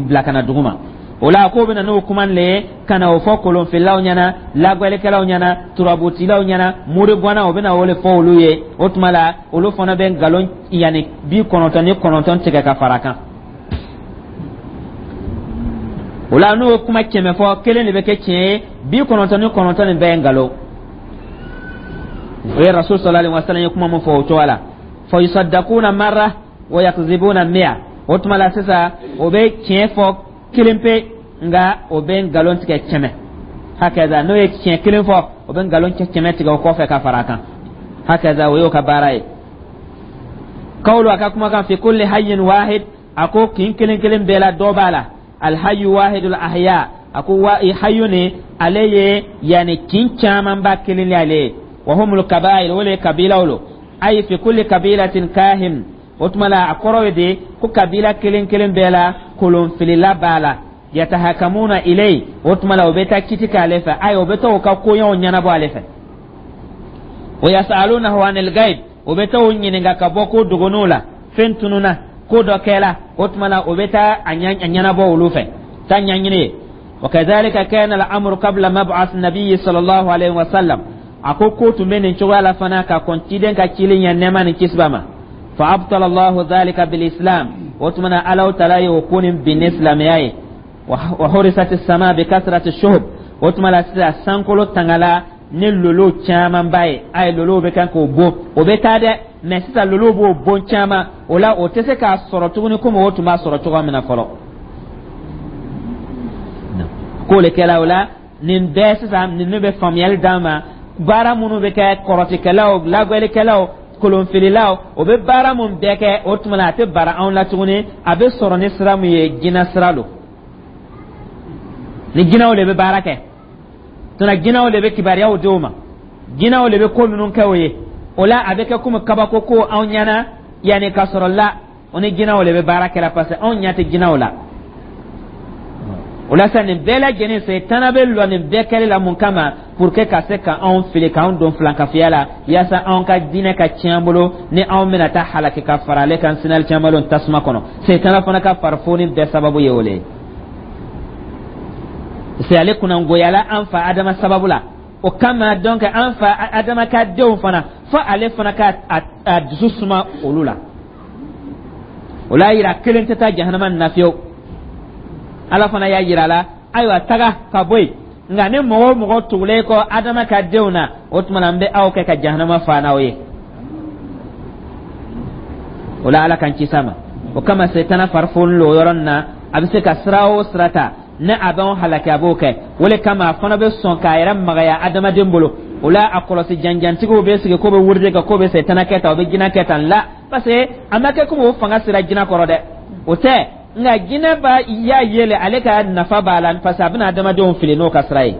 bila ka na dugu ma. O la, k'o bɛ na n'o kuma le ye ka na o fɔ kolonfililaw ɲɛna, lagwɛlikɛlaw ɲɛna, turabutilaw ɲɛna, murigwanna, o bɛ na o le fɔ olu ye. O tuma la, olu fana bɛ nkalon yanni 99 tigɛ ka fara kan. O la, n'o ye kuma 100 fɔ, kelen de bɛ kɛ tiɲɛ ye, 99 nin bɛɛ ye nkalon. O ye Rasul sallallahu alaihi wasallam ye kuma min fɔ o cogoya la. Fa yusaddaquna marra wa yakzibuna mi'a. O tuma la sisan, o bɛ tiɲɛ fɔ kelen pe, nka o bɛ nkalon tigɛ 100. Hakaza, n'o ye tiɲɛ kelen fɔ, o bɛ nkalon 100 tigɛ o kɔfɛ ka fara a kan. Hakaza, o y'o ka baara ye. Kawlu, a ka kumakan, fi kulli hayyin wahid, a ko kin kelen kelen bɛɛ la dɔ b'a la. Alhayu wahidul ahya, a ko wa hayu ni ale ye yani kin camanba kelen le ale ye. Wa humul kabail, o le ye kabilaw lo. Ayi fi kulli kabilatin kahin. O tuma la, a kɔrɔ ye de ko kabila kelen kelen bɛɛ la, kolonfilila b'a la. Yatahakamuna ilay, o tuma la, o bɛ taa kiti k'ale fɛ. Ayi, o bɛ taa o ka koɲɛw ɲɛnabɔ ale fɛ. Wa yasalunahu anil gaib, o bɛ taa o ɲininka ka bɔ ko dogonenw la, fɛn tununa, ko dɔ kɛla. O tuma la, o bɛ taa a ɲɛnabɔ olu fɛ, taa ɲɛɲini ye. Wa kadhalika kana al-amru qabla mab'ath nabiyyi sallallahu alayhi wa sallam. A ko ko tun bɛ nin cogoya la fana ka kɔn ciden ka cili ɲɛ, nɛɛma ni kisi b'a ma. Fa abtala Allahu dhalika bil islam. O tuma na, Alahu Taala ye o ko nin bin ni silamɛya ye. Wa hurisat as-sama bi kasrati shuhub. O tuma la sisan, sankolo tangala ni lolo camanba ye. A ye lolow bɛ kan k'o bon, o bɛ taa dɛ, mɛ sisan lolow b'o bon caman. O la, o tɛ se k'a sɔrɔ tuguni komi o tun b'a sɔrɔ cogoya min na fɔlɔ. K'o le kɛla. O la, nin bɛɛ sisan, ninnu bɛ faamuyali d'an ma, baara minnu bɛ kɛ, kɔrɔtikɛlaw, lagwɛlikɛlaw. Kolonfililaw, o bɛ baara mun bɛɛ kɛ, o tuma la a tɛ bara anw la tuguni. A bɛ sɔrɔ ni sira mun ye, jinɛ sira don. Ni jinɛw de bɛ baara kɛ tuna, jinɛw de bɛ kibaruyaw di o ma, jinɛw de bɛ ko minnu kɛ o ye. O la, a bɛ kɛ komi kabako ko anw ɲɛna, yanni ka sɔrɔ la o ni jinɛw de bɛ baara kɛra, parce que anw ɲɛ tɛ jinɛw la. O la sa, nin bɛɛ lajɛlen, Setana bɛ lɔ nin bɛɛ kɛli la mun kama? Pour que ka se ka anw fili, k'anw don filankafiya la, yaasa anw ka diinɛ ka tiɲɛ an bolo, ni anw bɛna taa halaki ka fara ale kan sinali caman tasuma kɔnɔ. Setana fana ka farifoni bɛɛ sababu ye o le ye, parce que ale kunnangoyala an fa Adama sababu la. O kama donc, an fa Adama ka denw fana, fo ale fana ka a dusu suma olu la. O l'a yira kelen tɛ taa jahanama na fiyewu. Ala fana y'a yira la: ayiwa, taga ka bɔ yen, nka ni mɔgɔ o mɔgɔ tugulen kɔ Adama ka denw na, o tuma na n bɛ aw kɛ ka jahanama fa n'aw ye. O la, Ala k'an kisi a ma. O kama, Setana farifoni lo o yɔrɔnin na. A bɛ se ka sira o sira ta ne a b'anw halaki, a b'o kɛ. O le kama, a fana bɛ sɔn k'a yɛrɛ magaya adamaden bolo. O la, a kɔlɔsi janjantigiw bɛ sigi k'o bɛ wurudi kɛ, k'o bɛ setana kɛ tan, o bɛ jinɛ kɛ tan la, parce que a ma kɛ komi o fanga sera jinɛ kɔrɔ dɛ, o tɛ. Nka jinɛ b'a y'a yɛlɛ, ale ka nafa b'a la, parce que a bɛna adamadenw fili n'o ka sira ye.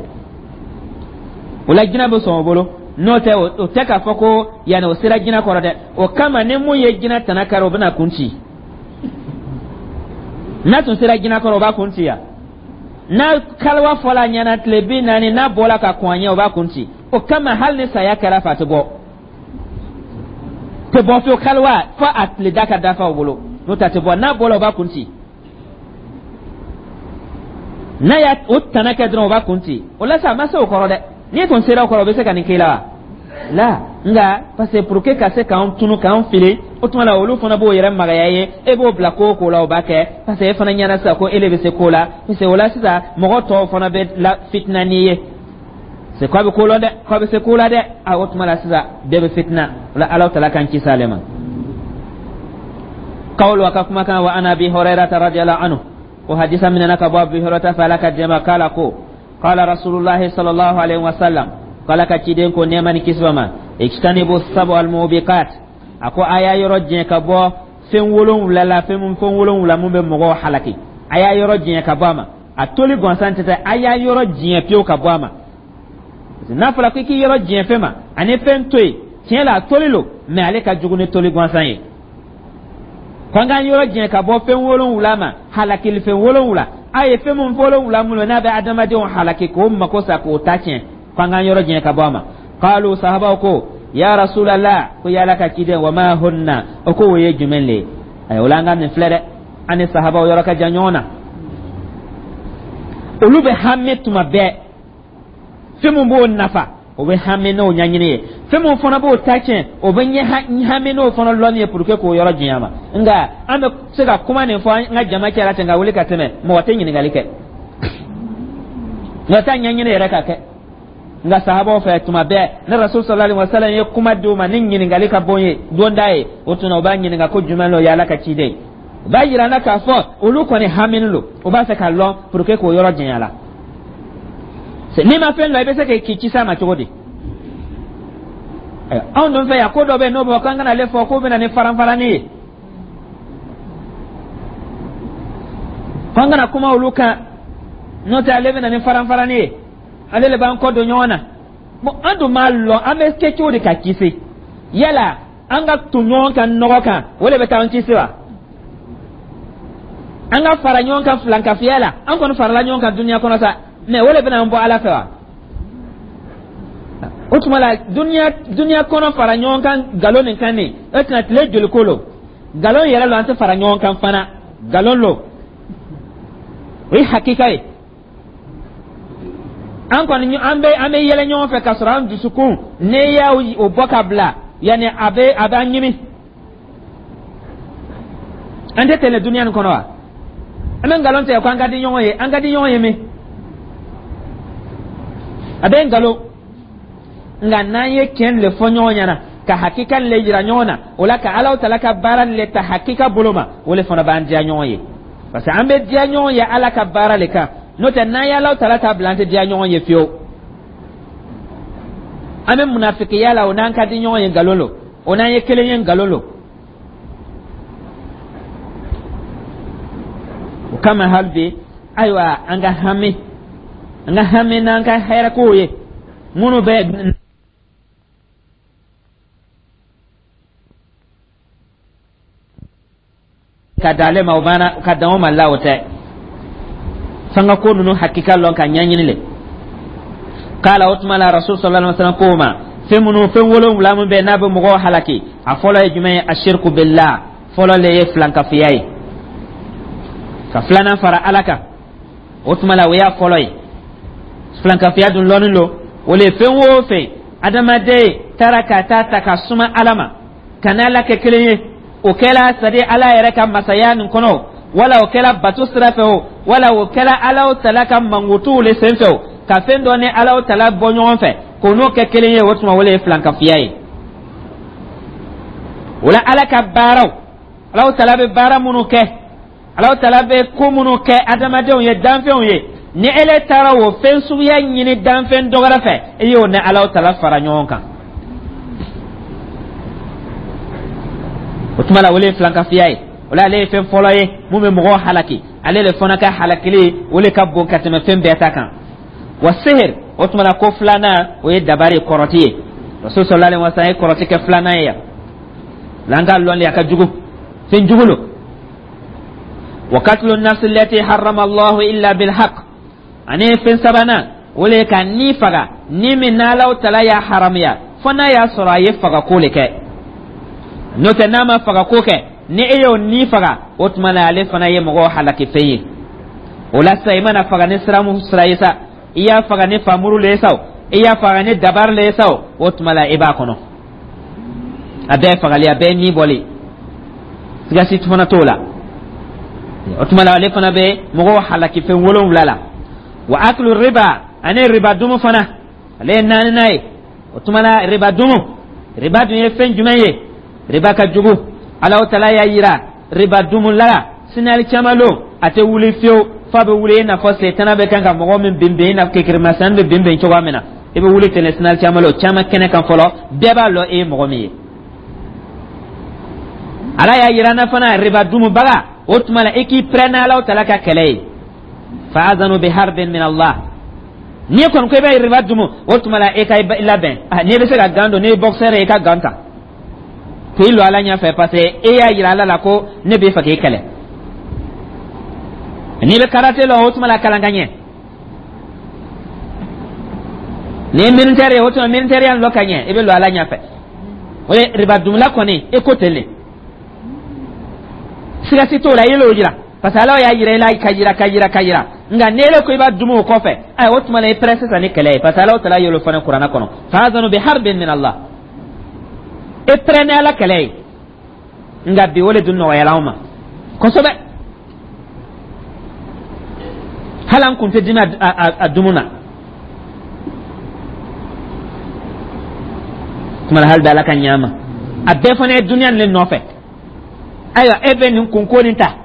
O la, jinɛ bɛ sɔn o bolo. N'o tɛ, o tɛ k'a fɔ ko yanni o sera jinɛ kɔrɔ dɛ. O kama, ni mun ye jinɛ tana kari, o bɛna kun ci. N'a tun sera jinɛ kɔrɔ, o b'a kun ci yan. N'a kaliwa fɔla a ɲɛna tile 40, n'a bɔla ka kɔn a ɲɛ, o b'a kun ci. O kama, hali ni saya kɛra fɛ, a tɛ bɔ, tɛ bɔ fiyewu. Kaliwa fo a tile da ka dafa o bolo, n'o tɛ a tɛ bɔ. N'a bɔla, o b'a kun ci. N'a y'a o tana kɛ dɔrɔn, o b'a kun ci. O la sa, a ma se o kɔrɔ dɛ. N'i tun sera o kɔrɔ, o bɛ se ka nin k'i la wa? La, nka parce que pour que ka se k'an tunu, k'an fili, o tuma la olu fana b'o yɛrɛ magaya ye. E b'o bila ko o ko la, o b'a kɛ, parce que e fana ɲɛna sisan ko e de bɛ se ko la. Parce que o la sisan, mɔgɔ tɔw fana bɛ la fitina n'i ye, c'est k'a bɛ ko lɔn dɛ, k'a bɛ se ko la dɛ. A o tuma la sisan, bɛɛ bɛ fitina. O la, Ala tala k'an kisi ale ma. Kawulu a ka kumakan wa an Abi Hurairata radiyallahu anhu, o hadisa minɛna ka bɔ Abi Hurairata fɛ, Ala ka jɛma k'a la, ko qala Rasulullahi sallallahu alaihi wasallam, k'Ala ka ciden ko, nɛɛma ni kisi b'a ma: ijtanibu sabu almubiqat. A ko a y'a yɔrɔ jɛn ka bɔ fɛn wolonwula la, fɛn wolonwula mun bɛ mɔgɔw halaki, a y'a yɔrɔ jɛn ka bɔ a ma. A toli gansan tɛ, a y'a yɔrɔ jɛn pewu ka bɔ a ma. N'a fɔra ko i k'i yɔrɔ jɛn fɛn ma ani fɛn to yen, tiɲɛ la, a toli lo, mɛ ale ka jugu ni toli gansan ye. Ko an k'an yɔrɔ jɛn ka bɔ fɛn wolonwula ma, halakili fɛn wolonwula. A ye fɛn mun wolonwula mun n'a bɛ adamadenw halaki, k'o mako sa, k'o ta tiɲɛ, ko an k'an yɔrɔ jɛn ka bɔ a ma. Qalu, sahabaw ko: ya Rasulallah, ko yala ka ciden, wa ma hunna? O ko o ye jumɛn le ye? Ayiwa, o la an ka nin filɛ dɛ, an ni sahabaw yɔrɔ ka jan ɲɔgɔn na. Olu bɛ hami tuma bɛɛ fɛn mun b'o nafa, o bɛ hami n'o ɲɛɲini ye. Fɛn mun fana b'o ta tiɲɛ, o bɛ ɲɛ hami n'o fana lɔnni ye, pour que k'o yɔrɔ janya ma. Nka an bɛ se ka kuma nin fɔ an ka jama cɛla ten, ka wuli ka tɛmɛ, mɔgɔ tɛ ɲininkali kɛ, nka taa ɲɛɲini yɛrɛ ka kɛ. Nka sahabaw fɛ, tuma bɛɛ ne Rasul sallallahu alaihi wasallam ye kuma d'u ma ni ɲininkali ka bon ye donda ye, o tuma u b'a ɲininka ko jumɛn lo, ye Ala ka ciden? U b'a yira n na k'a fɔ olu kɔni hamini lo, u b'a fɛ ka lɔn pour que k'o yɔrɔ janya la. N'i ma fɛn lɔn, i bɛ se k'i kisi a ma cogo di? Anw dun fɛ yan, ko dɔ bɛ yen n'o bɛ k'an kana ale fɔ, k'o bɛ na ni faranfaranni ye, k'an kana kuma olu kan, n'o tɛ ale bɛ na ni faranfaranni ye, ale le b'an kɔ don ɲɔgɔn na. Bon, an dun m'a lɔn an bɛ kɛ cogo di ka kisi. Yala an ka ton ɲɔgɔn kan nɔgɔ kan, o de bɛ taa an kisi wa? An ka fara ɲɔgɔn kan filankafiya la, an kɔni farala ɲɔgɔn kan duniya kɔnɔ sa, mɛ o de bɛna an bɔ Ala fɛ wa? O tuma la, duniya kɔnɔ fara ɲɔgɔn kan nkalon nin kan nin, o tɛna tile joli ko lo? Nkalon yɛrɛ lo, an tɛ fara ɲɔgɔn kan fana, nkalon lo, o ye hakika ye. An kɔni an bɛ yɛlɛ ɲɔgɔn fɛ k'a sɔrɔ an dusukun, n'e y'a o bɔ ka bila, yanni a bɛ an ɲimi. An tɛ tɛmɛ duniya nin kɔnɔ wa? An bɛ nkalon tigɛ ko an ka di ɲɔgɔn ye. An ka di ɲɔgɔn ye min, a bɛ nkalon. Nka n'an ye tiɲɛ le fɔ ɲɔgɔn ɲɛna, ka hakika le yira ɲɔgɔn na, o la ka Alaw tala ka baara le ta hakika bolo ma, o le fana b'an diya ɲɔgɔn ye, parce que an bɛ diya ɲɔgɔn ye Ala ka baara le kan. N'o tɛ, n'an ye Alaw tala ta bila, an tɛ diya ɲɔgɔn ye fiyewu. An bɛ munafikiya la, o n'an ka di ɲɔgɔn ye, nkalon lo. O n'an ye kelen ye, nkalon lo. O kama hali bi, ayiwa, an ka hami n'an ka hɛrɛkow ye minnu bɛ ka d'ale ma, o banna ka dan o ma la. O tɛ f'an ka ko ninnu hakika lɔn ka ɲɛɲini le. Kala o tuma la, Rasul sallallahu alaihi wasallam ko ma, fɛn minnu, fɛn wolonwula min bɛ n'a bɛ mɔgɔw halaki, a fɔlɔ ye jumɛn ye? Ashirku billah. Fɔlɔ le ye filankafiya ye, ka filanan fara Ala kan. O tuma la, o y'a fɔlɔ ye. Filankafiya dun lɔnni lo, o le fɛn o fɛn adamaden taara ka taa ta ka suma Ala ma, ka n'Ala kɛ kelen ye. O kɛla, c'est à dire, Ala yɛrɛ ka masaya nin kɔnɔ, wala o kɛla bato sira fɛ o, wala o kɛla Ala tala ka mankutuw le sen fɛ o, ka fɛn dɔ ni Ala tala bɔ ɲɔgɔn fɛ k'o n'o kɛ kelen ye, o tuma o le ye filankafiya ye. O la, Ala ka baaraw, Ala tala bɛ baara minnu kɛ, Ala tala bɛ ko minnu kɛ adamadenw ye, danfɛnw ye, ni ele taara o fɛn suguya ɲini danfɛn dɔ wɛrɛ fɛ, e y'o ni Ala tala fara ɲɔgɔn kan. O tuma la, o le ye filankafiya ye. O la, ale ye fɛn fɔlɔ ye mun bɛ mɔgɔw halaki. Ale le fana ka halakili, o le ka bon ka tɛmɛ fɛn bɛɛ ta kan. Wa sihir, o tuma la, ko filanan, o ye dabari, kɔrɔti ye. Rasul sallallahu alaihi wasallam ye kɔrɔti kɛ filanan ye yan. La an ka lɔn le, a ka jugu, fɛn jugu lo. Wa katlu nafsi allati harrama Allahu illa bil haqq. Ani fɛn sabanan, o le ye ka ni faga, ni min n'Alaw tala y'a haramuya, fo n'a y'a sɔrɔ a ye fagako le kɛ. N'o tɛ, n'a ma fagako kɛ, ni e y'o ni faga, o tuma la, ale fana ye mɔgɔw halaki fɛn ye. O la sisan, i mana faga ni sira mun sira ye sa, i y'a faga ni famuru le ye sa o, i y'a faga ni dabari le ye sa o, o tuma la, i b'a kɔnɔ. A bɛɛ ye fagali, a bɛɛ ye ni bɔli, siga si fana t'o la. O tuma la, ale fana bɛ mɔgɔw halaki fɛn wolonwula la. Wa akulu riba, ani riba dumu fana, ale ye naaninan ye. O tuma la, riba dumu, riba dun ye fɛn jumɛn ye? Riba ka jugu. Alahu tala y'a yira riba dumu la sinali caman lo, a tɛ wuli fiyewu, f'a bɛ wuli i n'a fɔ setana bɛ kan ka mɔgɔ min bin bin, i n'a fɔ kekerimasɛn bɛ bin bin cogoya min na. I bɛ wuli ten sinali caman lo, caman kɛnɛ kan fɔlɔ, bɛɛ b'a lɔn e ye mɔgɔ min ye. Ala y'a yira na fana, riba dumubaga, o tuma la, i k'i pɛrɛn n'Alahu tala ka kɛlɛ ye. Fa'azanu bi harbin min Allah. N'i kɔni ko i bɛ riba dumu, o tuma la, e ka i labɛn. N'i bɛ se ka gant don, n'i ye boxeur ye, i ka gant ta k'i lɔ Ala ɲɛfɛ, parce que e y'a yira Ala la ko ne b'i fɛ k'i kɛlɛ. N'i bɛ karate lɔn, o tuma la, kalan ka ɲɛ. N'i ye militaire ye, o tuma militaire ya lɔ ka ɲɛ, i bɛ lɔ Ala ɲɛfɛ. O ye riba dumula kɔni, e ko ten le, siga si t'o la, i y'o yira, parce que Ala y'a yira i la ka yira ka yira ka yira. Nka n'e ko i b'a dumu o kɔfɛ, ayi, o tuma la, i pɛrɛ sisan ni kɛlɛ ye, parce que Ala tala y'o fana kuranɛ kɔnɔ: fa'azanu bi harbin min Allah. E pɛrɛ ni Ala kɛlɛ ye. Nka bi, o le dun nɔgɔyala anw ma kosɛbɛ. Hali an kun tɛ dimi a dumu na tuma la. Hali bi, Ala ka ɲa ma. A bɛɛ fana ye duniya nin le nɔfɛ. Ayiwa, e bɛ nin kunko nin ta,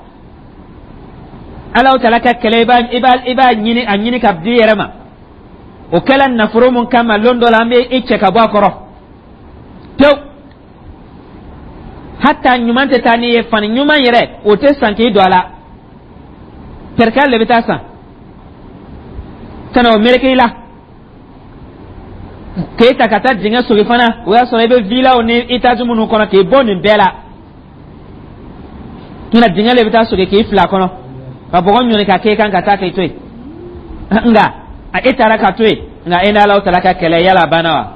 Ala tala ka kɛlɛ, i b'a ɲini, a ɲini ka di i yɛrɛ ma. O kɛla nafolo mun kama, lon dɔ la, an bɛ i cɛ ka bɔ a kɔrɔ pewu. Hata ɲuman tɛ taa n'i ye, fani ɲuman yɛrɛ, o tɛ san k'i don a la, pɛrɛkɛ le bɛ taa san ka na o meleke i la, k'e ta ka taa dingɛ sogi fana. O y'a sɔrɔ i bɛ villaw ni étage minnu kɔnɔ, k'i bɔ nin bɛɛ la tuna, dingɛ le bɛ taa sogi k'i fila kɔnɔ, ka bɔgɔ ɲɔni ka k'e kan ka taa k'i to yen. Nka a e taara ka to yen, nka e n'Ala taara ka kɛlɛ, yala a banna wa?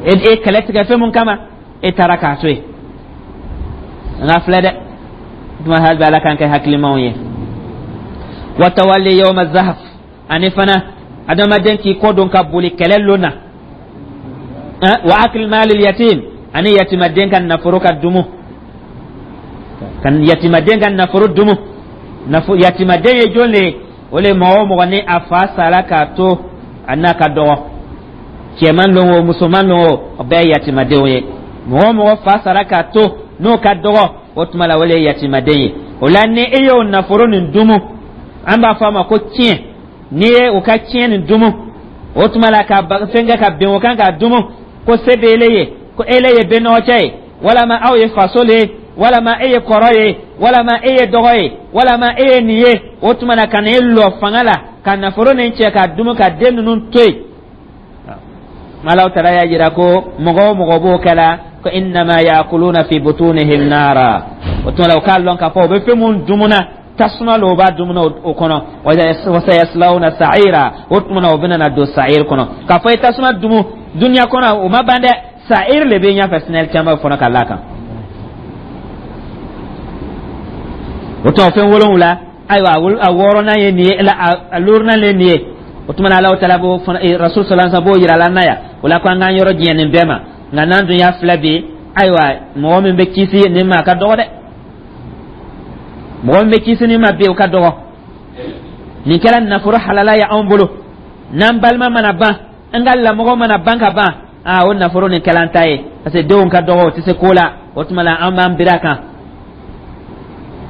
E kɛlɛ tigɛ fɛn mun kama, e taara k'a to yen. Nka filɛ dɛ, tuma hali bi, Ala k'an kɛ hakilimaw ye. Wa tawalli yawma zahaf, ani fana adamaden k'i kɔ don ka boli kɛlɛ lon na. Wa akil malil yatim, ani yatimaden ka nafolo ka dumu, ka yatimaden ka nafolo dumu. Yatimaden ye jɔn le ye? O le mɔgɔ o mɔgɔ ni a fa sara k'a to a n'a ka dɔgɔ, cɛman lon o, musoman lon o, o bɛɛ ye yatimadenw ye. Mɔgɔ o mɔgɔ fa sara k'a to n'o ka dɔgɔ, o tuma la, o le ye yatimaden ye. O la, ni e y'o nafolo nin dumu, an b'a fɔ a ma ko tiɲɛ. N'i ye o ka tiɲɛ nin dumu, o tuma la, ka fɛn kɛ ka bɛn o kan k'a dumu. Ko se bɛ ele ye, ko ele ye bɛnɔgɔcɛ ye, walama aw ye faso le ye, walama e ye kɔrɔ ye, walama e ye dɔgɔ ye, walama e ye nin ye. O tuma na, ka na e lɔ fanga la ka nafolo nin cɛ ka dumu ka den ninnu to yen. Alaw tala y'a jira ko mɔgɔ o mɔgɔ b'o kɛla, ko innama yakuluna fi butunihim nara. O tuma la, o k'a lɔn k'a fɔ o bɛ fɛn mun dumuna, tasuma lo o b'a dumuna o kɔnɔ. Wa sayaslawna sa'ira. O tuma na, o bɛna na don sa'ir kɔnɔ. K'a fɔ i tasuma dumu duniya kɔnɔ, o ma ban dɛ, sa'ir le bɛ ɲɛfɛ sinɛli caman fana ka l'a kan. O tuma, fɛn wolonwula, ayiwa, a wɔɔrɔnan ye nin ye, a luurunan ye nin ye. O tuma na, Alahu taala b'o fana, Rasul sallallahu alaihi wasallam b'o yira la na yan. O la, ko an k'an yɔrɔ janya nin bɛɛ ma. Nka n'an dun y'a filɛ bi, ayiwa, mɔgɔ min bɛ kisi nin ma, a ka dɔgɔ dɛ. Mɔgɔ min bɛ kisi nin ma bi, o ka dɔgɔ. Nin kɛra nafolo halala ye anw bolo. N'an balima mana ban, an ka lamɔgɔ mana ban ka ban, aa, o nafolo nin kɛla an ta ye, parce que denw ka dɔgɔ, o tɛ se ko la. O tuma la, an b'an biri a kan.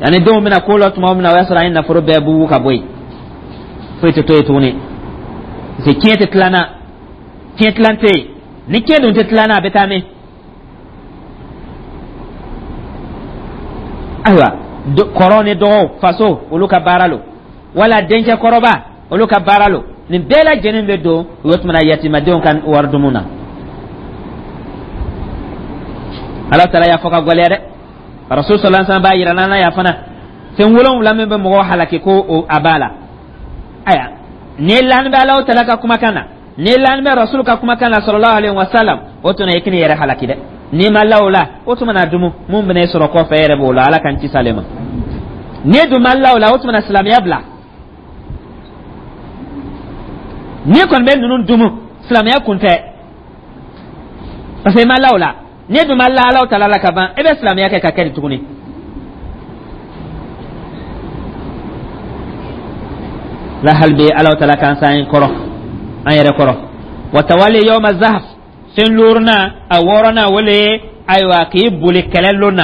Yanni denw bɛna ko la tuma min na, o y'a sɔrɔ an ye nafolo bɛɛ bugu ka bɔ yen, foyi tɛ to yen tuguni, parce que tiɲɛ tɛ tilan na, tiɲɛ tilan tɛ yen. Ni tiɲɛ dun tɛ tilan na, a bɛ taa min? Ayiwa, kɔrɔ ni dɔgɔw, faso, olu ka baara lo, wala dencɛ kɔrɔba, olu ka baara lo. Nin bɛɛ lajɛlen bɛ don o tuma na yatimadenw ka wari dumu na. Ala taala y'a fɔ ka gwɛlɛya dɛ. Rasul sallallahu alaihi wasallam b'a yira n'an y'a fana, fɛn wolonwula min bɛ mɔgɔw halaki, ko a b'a la. Aya, ni lani bɛ Alahu taala ka kumakan na, ni lani bɛ Rasul ka kumakan na sallallahu alaihi wasallam, o tuma i k'i yɛrɛ halaki dɛ. N'i ma la o la, o tuma na dumu mun bɛna e sɔrɔ kɔfɛ, e yɛrɛ b'o la. Ala k'an kisi ale ma. N'i dun ma la o la, o tuma na silamɛya bila. N'i kɔni bɛ ninnu dumu, silamɛya kun tɛ, parce que i ma la o la. N'i dun ma la Alahu taala la ka ban, e bɛ silamɛya kɛ ka kɛ di tuguni? La hali bi, Alahu taala k'an s'an kɔrɔ, an yɛrɛ kɔrɔ. Wa tawali yawma zahf. Fɛn luurunan, a wɔɔrɔnan, o le ye, ayiwa, k'i boli kɛlɛ lon na.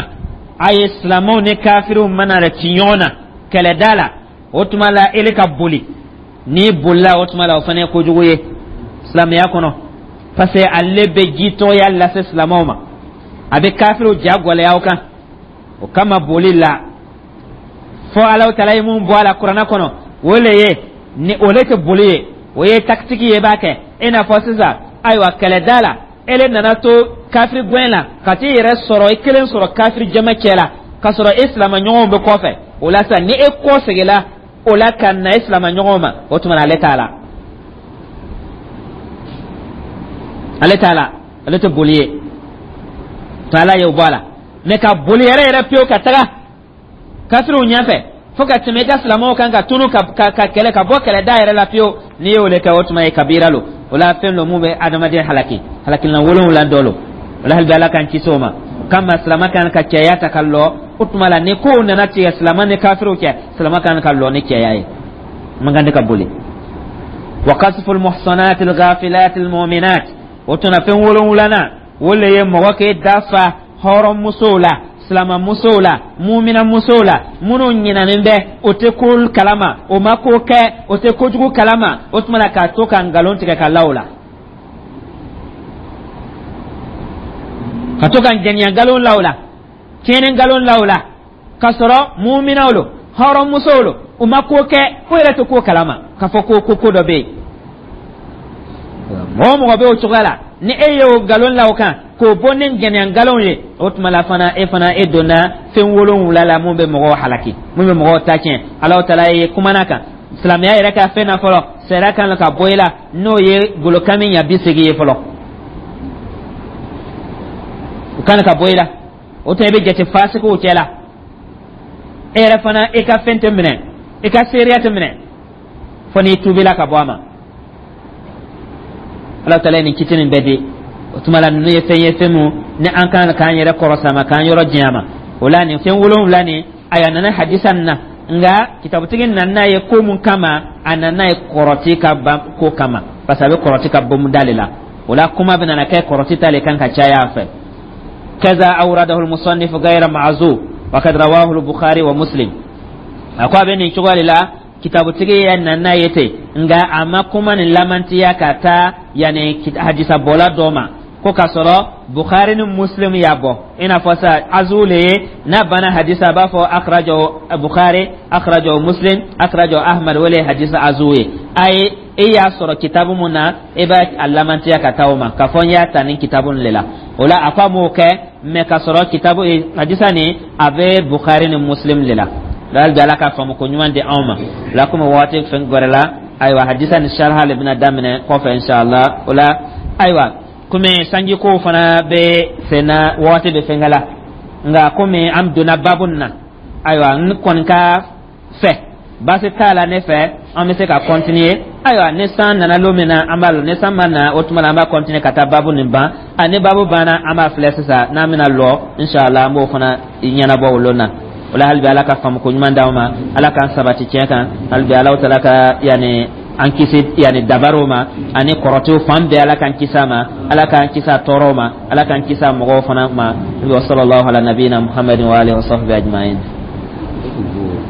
A ye silamɛw ni kafiriw mana ci ɲɔgɔn na kɛlɛda la, o tuma la ele ka boli. N'i bolila, o tuma la o fana ye kojugu ye silamɛya kɔnɔ, parce que ale bɛ jitɔya lase silamɛw ma, a bɛ kafiriw ja gwɛlɛya o kan. O kama boli la, fo Alahu taala ye mun bɔ a la kuranɛ kɔnɔ, o le ye ni o le tɛ boli ye, o ye takitiki ye, b'a kɛ i n'a fɔ sisan, ayiwa, kɛlɛda la, ele nana to kafiri gɛn la ka t'i yɛrɛ sɔrɔ i kelen sɔrɔ kafiri jama cɛ la, k'a sɔrɔ e silama ɲɔgɔnw bɛ kɔfɛ. O la sisan, ni e kɔ seginna o la ka na e silama ɲɔgɔnw ma, o tuma na ale t'a la, ale t'a la, ale tɛ boli ye. To Ala y'o bɔ a la. Mɛ ka boli yɛrɛ yɛrɛ pewu ka taga kafiriw ɲɛfɛ fo ka tɛmɛ i ka silamɛw kan, ka tunu ka kɛlɛ, ka bɔ kɛlɛda yɛrɛ la pewu, n'i y'o le kɛ, o tuma ye kabira lo. O la, fɛn lo mun bɛ adamaden halaki, halakilan wolonwula dɔ lo. O la, hali bi, Ala k'an kisi o ma. O kama, silama kan ka cɛya ta ka lɔ. O tuma la, ni kow nana tigɛ silama ni kafiriw cɛ, silama kan ka lɔ ni cɛya ye, man kan tɛ ka boli. Wa qasful muhsanat al ghafilat al mu'minat. O tuma, fɛn wolonwulanan, o le ye mɔgɔ k'e dafa hɔrɔnmusow la, silamamusow la, muminamusow la, minnu ɲinanen bɛ, o tɛ ko kalama, o ma ko kɛ, o tɛ kojugu kalama. O tuma na, k'a to ka nkalon tigɛ ka la o la, ka to ka jɛnɛya nkalon la o la, tiɲɛni nkalon la o la, k'a sɔrɔ muminaw lo, hɔrɔnmusow lo, u ma ko kɛ, o yɛrɛ tɛ ko kalama k'a fɔ ko dɔ bɛ yen. Mɔgɔ o mɔgɔ bɛ o cogoya la, ni e ye o nkalon la o kan k'o bɔ ni ŋaniya nkalon ye, o tuma la fana, e fana e donna fɛn wolonwula la mun bɛ mɔgɔw halaki, mun bɛ mɔgɔw ta tiɲɛ. Alahu taala ye kumana kan silamɛya yɛrɛ ka fɛn na fɔlɔ, sariya kan ka bɔ i la, n'o ye golokami ɲa 80 ye fɔlɔ, o kan ka bɔ i la. O tuma, i bɛ jate fasikiw cɛ la. E yɛrɛ fana, e ka fɛn tɛ minɛ, e ka seereya tɛ minɛ fo n'i tuubila ka bɔ a ma. Ala taala ye nin kiti nin bɛɛ di. O tuma la, ninnu ye fɛn ye, fɛn mun ni an kan k'an yɛrɛ kɔrɔsa ma, k'an yɔrɔ janya ma. O la, nin fɛn wolonwula nin, a nana hadisa nin na, nka kitabutigi nana n'a ye ko mun kama? A nana n'a ye kɔrɔti ka ban ko kama, parce que a bɛ kɔrɔti ka bonda le la. O la, kuma bɛ nana kɛ kɔrɔti ta le kan ka caya a fɛ. Kaza awradahu almusannif ghayra ma'zu wa kad rawahu al-Bukhari wa Muslim. A ko a bɛ nin cogoya de la, kitabutigi ya nana n'a ye ten, nka a ma kuma nin lamantiya ka taa yanni hadisa bɔla dɔ ma. Ko k'a sɔrɔ Bukhari ni Muslim y'a bɔ, i n'a fɔ sa azu le ye. N'a banna hadisa, a b'a fɔ akhrajahu Bukhari, akhrajahu Muslim, akhrajahu Ahmad. O le ye hadisa azu ye. Ayi, e y'a sɔrɔ kitabu mun na, e b'a a lamantiya ka taa o ma k'a fɔ n y'a ta nin kitabu nin le la. O la, a ko a m'o kɛ, mɛ k'a sɔrɔ kitabu hadisa nin a bɛ Bukhari ni Muslim le la. Hali bi, Ala ka faamu ko ɲuman di anw ma la. Komi waati fɛn gwɛrɛ la, ayiwa, hadisa ni sharha le bɛna daminɛ kɔfɛ, inshallah. O la, ayiwa, komi sanjikow fana bɛ senna, waati bɛ fɛnkɛ la, nka komi an donna babu nin na, ayiwa, n kɔni ka fɛ, baasi t'a la ne fɛ, an bɛ se ka continuer. Ayiwa, ni san nana lon min na, an b'a lɔ. Ni san ma na, o tuma la an b'a continuer ka taa babu nin ban. A ni babu banna, an b'a filɛ sisan n'an bɛna lɔ, inshallah, an b'o fana ɲɛnabɔ o lon na. O la, hali bi, Ala ka faamu ko ɲuman d'anw ma, Ala k'an sabati tiɲɛ kan. Hali bi, Ala taala ka yanni an kisi yanni dabariw ma ani kɔrɔtiw fan bɛɛ. Ala k'an kisi a ma, Ala k'an kisi a tɔɔrɔw ma, Ala k'an kisi a mɔgɔw fana ma. Wa sallallahu ala nabiyina Muhammadin wa alihi wa sahbihi ajma'in.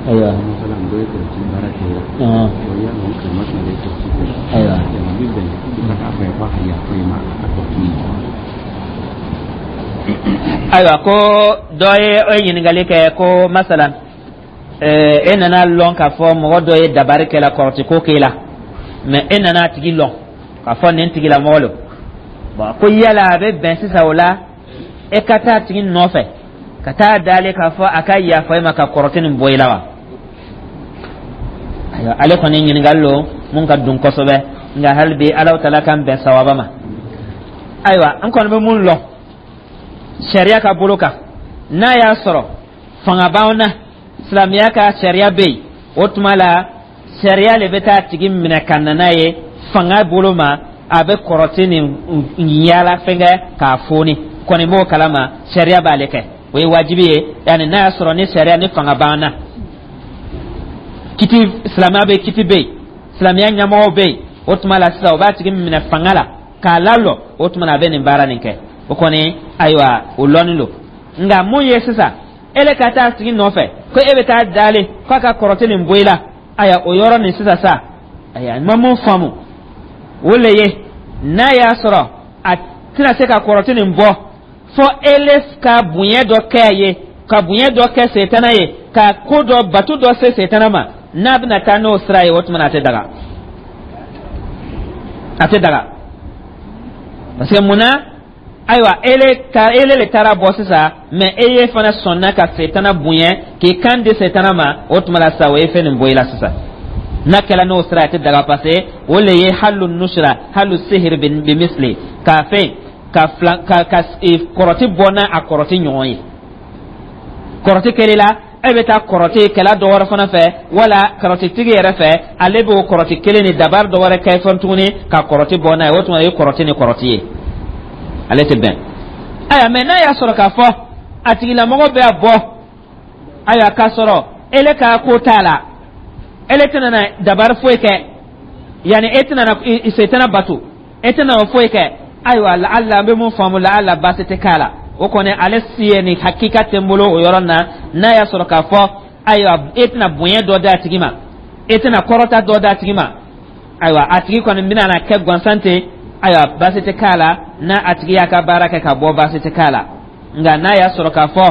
Ayiwa, ayiwa. Ayiwa, ko dɔ ye o ye ɲininkali kɛ ko masalan, e nana lɔn k'a fɔ mɔgɔ dɔ ye dabari kɛla, kɔrɔti ko k'e la, mɛ e nana a tigi lɔn k'a fɔ nin tigilamɔgɔ lo. Bɔn, ko yala a bɛ bɛn sisan o la, e ka taa a tigi nɔfɛ ka taa dali k'a fɔ a ka yafa e ma ka kɔrɔti nin bɔ i la wa? Ayiwa, ale kɔni ɲininkali lo mun ka dun kosɛbɛ, nka hali bi, Alahu taala k'an bɛn sawaba ma. Ayiwa, an kɔni bɛ mun lɔn sariya ka bolo kan, n'a y'a sɔrɔ fanga b'anw na, silamɛya ka sariya bɛ yen, o tuma la sariya le bɛ taa tigi minɛ ka na n'a ye fanga bolo ma. A bɛ kɔrɔti nin yaala fɛnkɛ k'a foni kɔni b'o kalama, sariya b'ale kɛ, o ye wajibi ye. Yanni n'a y'a sɔrɔ ni sariya ni fanga b'an na, kiti silamɛya bɛ, kiti bɛ yen, silamɛya ɲɛmɔgɔw bɛ yen, o tuma la sisan o b'a tigi minɛ fanga la k'a lalɔ. O tuma na a bɛ nin baara nin kɛ. O kɔni, ayiwa, o lɔnni don. Nka mun ye sisan, e le ka taa tigi nɔfɛ ko e bɛ taa dalen k'a ka kɔrɔti nin bɔ i la, ayiwa, o yɔrɔ nin sisan sa, ayiwa, n ma mun faamu, o le ye n'a y'a sɔrɔ a tɛna se ka kɔrɔti nin bɔ fɔ e le ka bonya dɔ kɛ a ye, ka bonya dɔ kɛ setana ye, ka ko dɔ batu dɔ se setana ma, n'a bɛna taa n'o sira ye, o tuma na a tɛ daga, a tɛ daga. Parce que mun na? Ayiwa, ele ka ele le taara bɔ sisan, mɛ e ye fana sɔnna ka setana bonya k'i kan di setana ma. O tuma la sisan, o ye fɛn nin bɔ i la sisan. N'a kɛla n'o sira, a tɛ daga, parce que o le ye halu nusra halu sihiri bi misli k'a fɛn ka filan ka kɔrɔti bɔ n'a a kɔrɔti ɲɔgɔn ye. Kɔrɔti kɛli la, e bɛ taa kɔrɔti kɛla dɔ wɛrɛ fana fɛ, wala kɔrɔtitigi yɛrɛ fɛ, ale b'o kɔrɔti kelen ni dabari dɔ wɛrɛ kɛ fɛn tuguni ka kɔrɔti bɔ n'a ye. O tuma, o ye kɔrɔti ni kɔrɔti ye, ale tɛ bɛn. Ayiwa, mɛ n'a y'a sɔrɔ k'a fɔ a tigilamɔgɔ bɛ a bɔ, ayiwa, k'a sɔrɔ ele ka ko t'a la, ele tɛna na dabari foyi kɛ, yanni e tɛna na setana bato, e tɛna o foyi kɛ, ayiwa, laala an bɛ mun faamu, laala baasi tɛ k'a la. O kɔni, ale si ye nin hakika tɛ n bolo o yɔrɔ na. N'a y'a sɔrɔ k'a fɔ, ayiwa, e tɛna bonya dɔ d'a tigi ma, e tɛna kɔrɔta dɔ d'a tigi ma, ayiwa, a tigi kɔni bɛna na kɛ gansan ten, ayiwa, baasi tɛ k'a la. N'a a tigi y'a ka baara kɛ ka bɔ, baasi tɛ k'a la. Nka n'a y'a sɔrɔ k'a fɔ,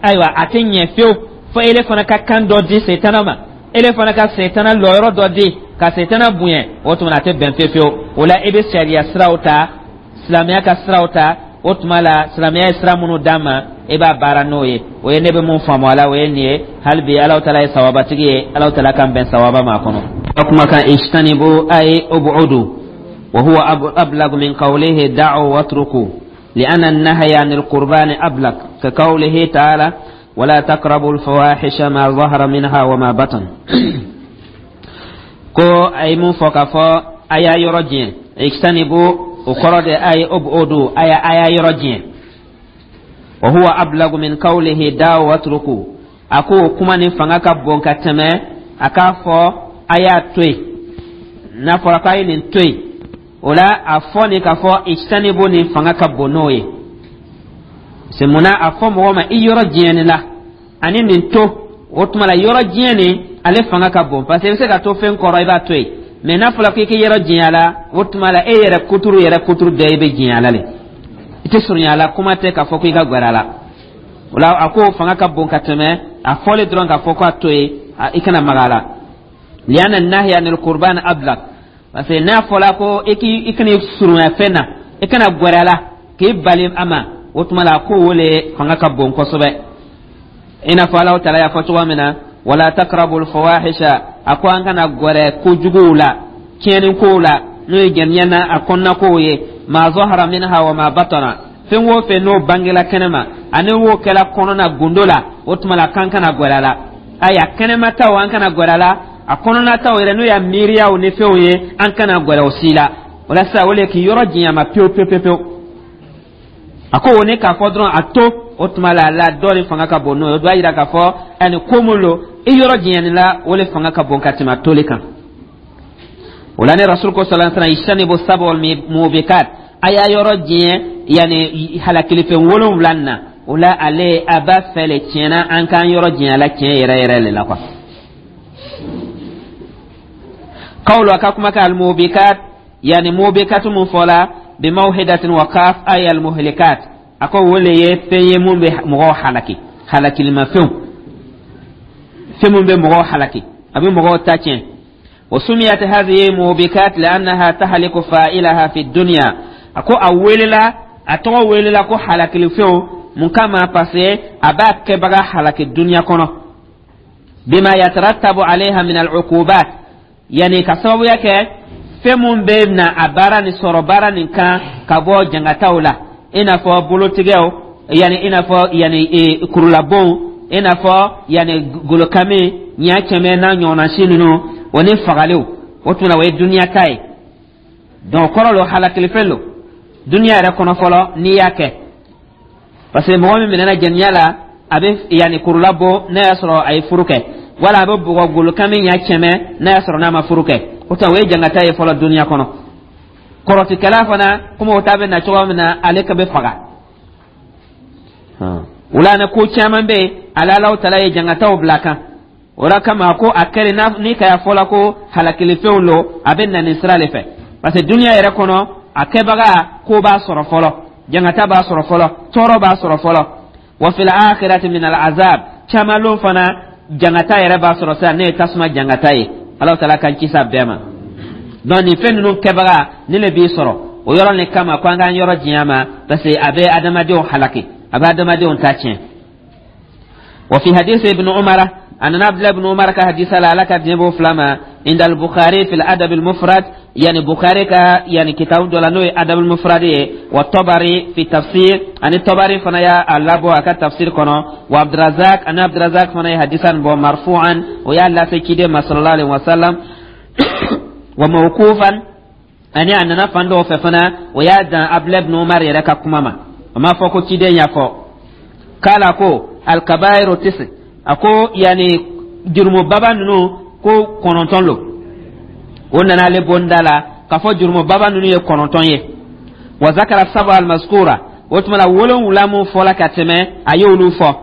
ayiwa, a tɛ ɲɛ fiyewu fo ele fana ka kan dɔ di setana ma, ele fana ka setana lɔyɔrɔ dɔ di ka setana bonya, o tuma na a tɛ bɛn fiyewu fiyewu. O la, e bɛ sariya siraw ta, silamɛya ka siraw ta. O tuma la, silamɛya ye sira minnu d'an ma, e b'a baara n'o ye. O ye ne bɛ mun faamu a la, o ye nin ye. Hali bi, Alahu taala ye sawabatigi ye, Alahu taala k'an bɛn sawaba ma a kɔnɔ. A kumakan ijtanibu ay ubudu wa huwa ablag min qawlihi da'u watruku لأن النهي عن القربان أبلغ، كقوله تعالى: ولا تقربوا الفواحش ما ظهر منها وما بطن. Ko a ye mun fɔ k'a fɔ a y'a yɔrɔ jɛn, ijtanibu, o kɔrɔ de a ye ubudu, a y'a yɔrɔ jɛn. Wa huwa ablagu min qawlihi da'u watruku. A ko o kuma nin fanga ka bon ka tɛmɛ a k'a fɔ a y'a to yen. N'a fɔra k'a ye nin to yen, o la a fɔ nin k'a fɔ ijtanibu nin fanga ka bon n'o ye. Se munna a fɔ mɔgɔ ma i yɔrɔ jɛn nin la ani nin to, o tuma la yɔrɔ jɛn nin ale fanga ka bon, parce que i bɛ se ka to fɛn kɔrɔ, i b'a to yen. Mɛ n'a fɔra k'i k'i yɔrɔ jɛn a la, o tuma la e yɛrɛ kuturu yɛrɛ kuturu bɛɛ i bɛ jɛn a la le. I tɛ surunya a la, kuma tɛ k'a fɔ ko i ka gwɛrɛ a la. O la, a ko fanga ka bon ka tɛmɛ a fɔlen dɔrɔn k'a fɔ ko a to yen, i kana maga a la. Lianna nahya anil qurban ablag, parce que n'a fɔla ko i k'i i kana surunya fɛn na, i kana gwɛrɛ a la, k'i bali a ma, o tuma la ko o le fanga ka bon kosɛbɛ. I n'a fɔ Alahu Taala y'a fɔ cogo min na: wala takrabul fawahisha. A ko an kana gwɛrɛ kojuguw la, tiɲɛni kow la, n'o ye jɛniyɛ na a kɔnɔna kow ye, ma zahara minha wa ma batana, fɛn o fɛn n'o bangela kɛnɛma ani wo kɛla kɔnɔna gundo la, o tuma la k'an kana gwɛrɛ a la. Ayiwa, kɛnɛmataw, an kana gwɛrɛ a la, a kɔnɔnataw yɛrɛ, n'o y'a miiriyaw ni fɛnw ye, an kana gwɛrɛ o si la. O la sisan, o le k'i yɔrɔ janya ma pewu pewu pewu pewu. A ko o ni k'a fɔ dɔrɔn a to, o tuma la, la dɔ de fanga ka bon n'o ye. O b'a yira k'a fɔ ani ko mun lo, i yɔrɔ janyani la, o le fanga ka bon ka tɛmɛ a toli kan. O la, ni Rasul ko sallallahu alaihi wasallam: ijtanibu sab'al mubikat, a y'a yɔrɔ janya yani halakilifɛn wolonwula na. O la, ale a b'a fɛ le tiɲɛna an k'an yɔrɔ janya la tiɲɛ yɛrɛ yɛrɛ le la quoi. Qawlu, a ka kuma ka al-mubikat, yani mubikat mun fɔla bimawhidatin wa kaf, ay al-muhlikat. A ko o le ye fɛn ye mun bɛ mɔgɔw halaki, halakilimafɛnw, fɛn mun bɛ mɔgɔw halaki, a bɛ mɔgɔw ta tiɲɛ. وسميت هذه موبكات لأنها تهلك فاعلها في الدنيا. A ko a welela, a tɔgɔ welela ko halakilifɛnw. Mun kama? Parce que a b'a kɛbaga halaki duniya kɔnɔ, bima yatarattabu alayha min al-uqubat, yani ka sababuya kɛ fɛn mun bɛ na a baara nin sɔrɔ baara nin kan ka bɔ jangataw la, i n'a fɔ bolotigɛw, yani i n'a fɔ yani kurulabonw, i n'a fɔ yani golokami ɲa kɛmɛ n'a ɲɔgɔnna si ninnu, o ni fagaliw. O tuma o ye duniya ta ye. Donc kɔrɔ lo, halakilifɛn lo duniya yɛrɛ kɔnɔ fɔlɔ n'i y'a kɛ, parce que mɔgɔ min minɛna jɛniya la, a bɛ yanni kurula bɔ n'a y'a sɔrɔ a ye furu kɛ, wala a bɛ bugɔ golokami ɲa kɛmɛ n'a y'a sɔrɔ n'a ma furu kɛ. O tuma o ye jangata ye fɔlɔ duniya kɔnɔ. Kɔrɔtikɛla fana, komi o ta bɛ na cogoya min na, ale ka bɛ faga. O la, ni ko caman bɛ yen, ale Alahu Taala ye jangataw bila kan. O la kama, ko a kɛlen ni ka fɔla ko halakilifɛnw lo, a bɛ na nin sira de fɛ, parce que duniya yɛrɛ kɔnɔ, a kɛbaga ko b'a sɔrɔ fɔlɔ, jangata b'a sɔrɔ fɔlɔ, tɔɔrɔ b'a sɔrɔ fɔlɔ. Wa fil akhirati min al azab, caman lon fana jangata yɛrɛ b'a sɔrɔ sisan, ne ye tasuma jangata ye. Ala Taala k'an kisi a bɛɛ ma. Donc nin fɛn ninnu kɛbaga ni le b'i sɔrɔ o yɔrɔ nin kama, ko an k'an yɔrɔ janya ma, parce que a bɛ adamadenw halaki, a bɛ adamadenw ta tiɲɛ. Wa fi hadisi ibn Umar, a nana Abdullah ibn Umar ka hadisa la, Ala ka diɲɛ b'o fila ma, inda al-Bukhari fi al-Adab al-Mufrad, yani Bukhari ka yani kitabu dɔ la, n'o ye Adab al-Mufrad ye, wa Tabari fi tafsir, ani Tabari fana y'a labɔ a ka tafsir kɔnɔ, wa Abdurazak, ani Abdurazak fana ye hadisa nin bɔ marfu'an, o y'a lase ciden ma sallallahu alaihi wasallam, wa mawqufan, ani a nana fan dɔw fɛ fana, o y'a dan Abdullah ibn Umar yɛrɛ ka kuma ma, o m'a fɔ ko ciden y'a fɔ. K'ala ko alkabairu tisi, a ko yani jurumubaba ninnu ko 9 lo. O nana ale bonda la k'a fɔ jurumubaba ninnu ye 9 ye. Wa zakara saba almaskura, o tuma la 7 mun fɔla ka tɛmɛ, a y'olu fɔ.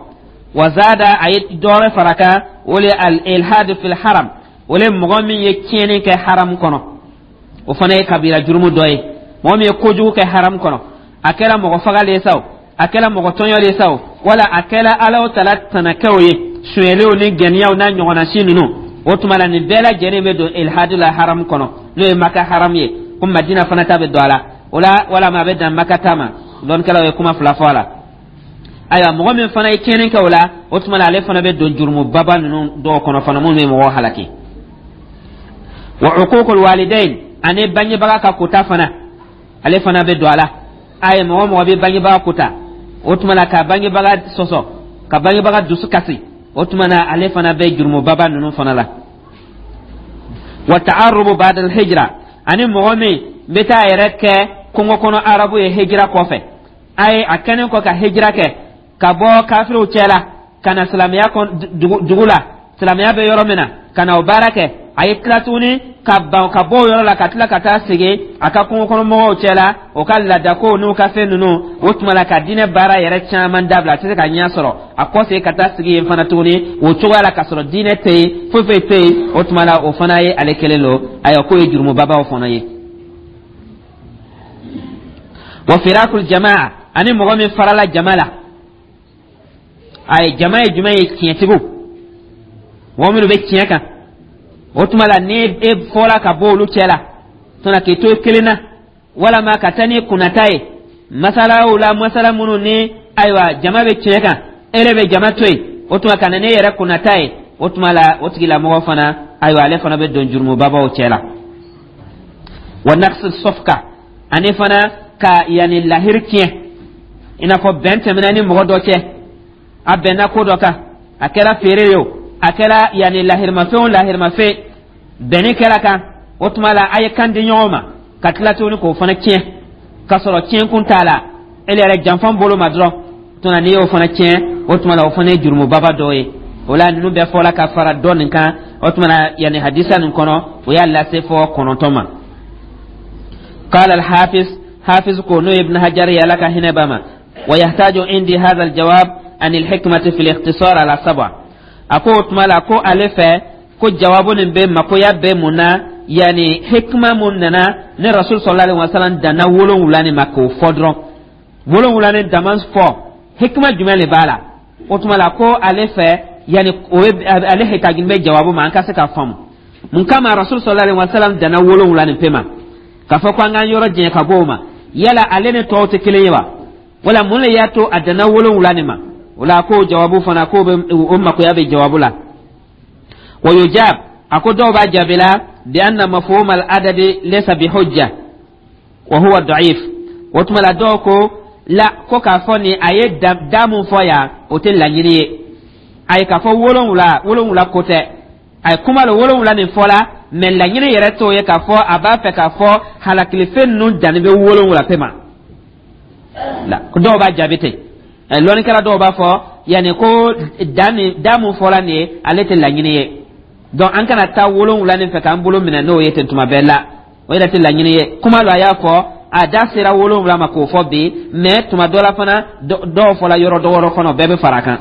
Wa zada, a ye dɔwɛrɛ fara kan, o le al ilhad fil haram, o le mɔgɔ min ye tiɲɛni kɛ haram kɔnɔ, o fana ye kabira jurumu dɔ ye. Mɔgɔ min ye kojugu kɛ haram kɔnɔ, a kɛra mɔgɔ fagali ye sa o, a kɛra mɔgɔ tɔɲɔli ye sa o, wala a kɛra Ala Taala tanakɛw ye, sonyɛliw ni gɛniyaw n'a ɲɔgɔnna si ninnu, o tuma la nin bɛɛ lajɛlen bɛ don ilhadu la haram kɔnɔ, n'o ye Maka haram ye, ko Madina fana ta bɛ don a la. O la, walama a bɛ dan Maka ta ma, lɔnnikɛlaw ye kuma fila fɔ a la. Ayiwa, mɔgɔ min fana ye tiɲɛni kɛ o la, o tuma la ale fana bɛ don jurumubaba ninnu dɔw kɔnɔ fana, minnu bɛ mɔgɔw halaki. Wa uququl walidain, ani bangebaga ka kota fana, ale fana bɛ don a la. A ye mɔgɔ mɔgɔ bɛ bangebaga kota, o tuma la ka bangebaga sɔsɔ, ka bangebaga dusu kasi, o tuma na ale fana bɛ jurumubaba ninnu fana la. Wa ta'arrubu ba'da al-hijra, ani mɔgɔ min bɛ taa a yɛrɛ kɛ kungo kɔnɔ arabu ye hijira kɔfɛ, a ye a kɛlen kɔ ka hijira kɛ ka bɔ kafiriw cɛ la ka na silamɛya dugu la, silamɛya bɛ yɔrɔ min na, ka na o baara kɛ, a ye tila tuguni ka ban ka bɔ o yɔrɔ la ka tila ka taa segin a ka kungo kɔnɔ mɔgɔw cɛ la, o ka laadakow n'u ka fɛn ninnu, o tuma la ka diinɛ baara yɛrɛ caman dabila, a tɛ se ka ɲɛ sɔrɔ, a kɔ segin ka taa sigi yen fana tuguni o cogoya la, k'a sɔrɔ diinɛ tɛ yen, foyi foyi tɛ yen, o tuma la o fana ye ale kelen don. Ayiwa, k'o ye jurumubabaw fana ye. Wa firakul jamaa, Ani mɔgɔ min farala jama la. Ayi, jama ye jumɛn ye? Tiɲɛtigiw, mɔgɔ minnu bɛ tiɲɛ kan. O tuma la, ni e fɔra ka bɔ olu cɛ la tuma, k'i to kelen na, walama ka taa ni kunnata ye masalaw la, masala minnu ni ayiwa jama bɛ tiɲɛ kan, e yɛrɛ bɛ jama to yen, o tuma ka na n'e yɛrɛ kunnata ye, o tuma la, o tigilamɔgɔ fana, ayiwa, ale fana bɛ don jurumubabaw cɛ la. Wa naqsi safka, ani fana ka yanni lahiri tiɲɛ, i n'a fɔ bɛn tɛmɛna ni mɔgɔ dɔ cɛ, a bɛnna ko dɔ kan, a kɛra feere ye o, a kɛra yanni lahirimafɛn o lahirimafɛn, bɛnni kɛra kan, o tuma la a ye kan di ɲɔgɔn ma, ka tila tuguni k'o fana tiɲɛ k'a sɔrɔ tiɲɛkun t'a la, e yɛrɛ janfan bolo ma dɔrɔn. Tuma n'i y'o fana tiɲɛ, o tuma la o fana ye jurumubaba dɔ ye. O la, ninnu bɛɛ fɔla ka fara dɔ nin kan. O tuma na, yanni hadisa nin kɔnɔ, o y'a lase fɔ 9 ma. قال الحافظ، حافظ ko n'o Ibn Hajar ye, Ala ka hinɛ b'a ma: ويحتاج عندي هذا الجواب عن الحكمة في الاختصار على سبع. A ko o tuma la ko ale fɛ ko jawabu nin bɛ makoya bɛ mun na, yani hikma mun nana ni Rasul صلى الله عليه وسلم danna 7 nin ma k'o fɔ dɔrɔn, 7 nin dama fɔ, hikma jumɛn de b'a la? O tuma la ko ale fɛ, yani o ye ale hitagin bɛ jawabu ma, an ka se ka faamu mun kama Rasul صلى الله عليه وسلم danna 7 nin pe ma, k'a fɔ ko an k'an yɔrɔ jɛn ka bɔ o ma. Yala ale ni tɔw tɛ kelen ye wa, wala mun le y'a to a danna 7 nin ma? O la ko jawabu fana ko bɛ o makoya bɛ jawabu la. ويجاب، a ko dɔw b'a jaabi la: بأن مفهوم العدد ليس بحجة وهو ضعيف. O tuma la, dɔw ko la ko k'a fɔ nin a ye da mun fɔ yan, o tɛ laɲini ye. A ye k'a fɔ 7, 7 ko tɛ. A ye kuma la 7 nin fɔ la, mɛ laɲini yɛrɛ t'o ye k'a fɔ a b'a fɛ k'a fɔ halakilifɛn ninnu danni bɛ 7 pe ma la. Dɔw b'a jaabi ten. Lɔnnikɛla dɔw b'a fɔ yanni ko da nin, da mun fɔla nin ye, ale tɛ laɲini ye. Donc an kana taa 7 nin fɛ k'an bolo minɛ n'o ye ten tuma bɛɛ la, o yɛrɛ tɛ laɲini ye. Kuma lo, a y'a fɔ a da sera 7 ma k'o fɔ bi, mɛ tuma dɔ la fana, dɔw fɔla yɔrɔ dɔ wɛrɛ kɔnɔ, bɛɛ bɛ fara a kan.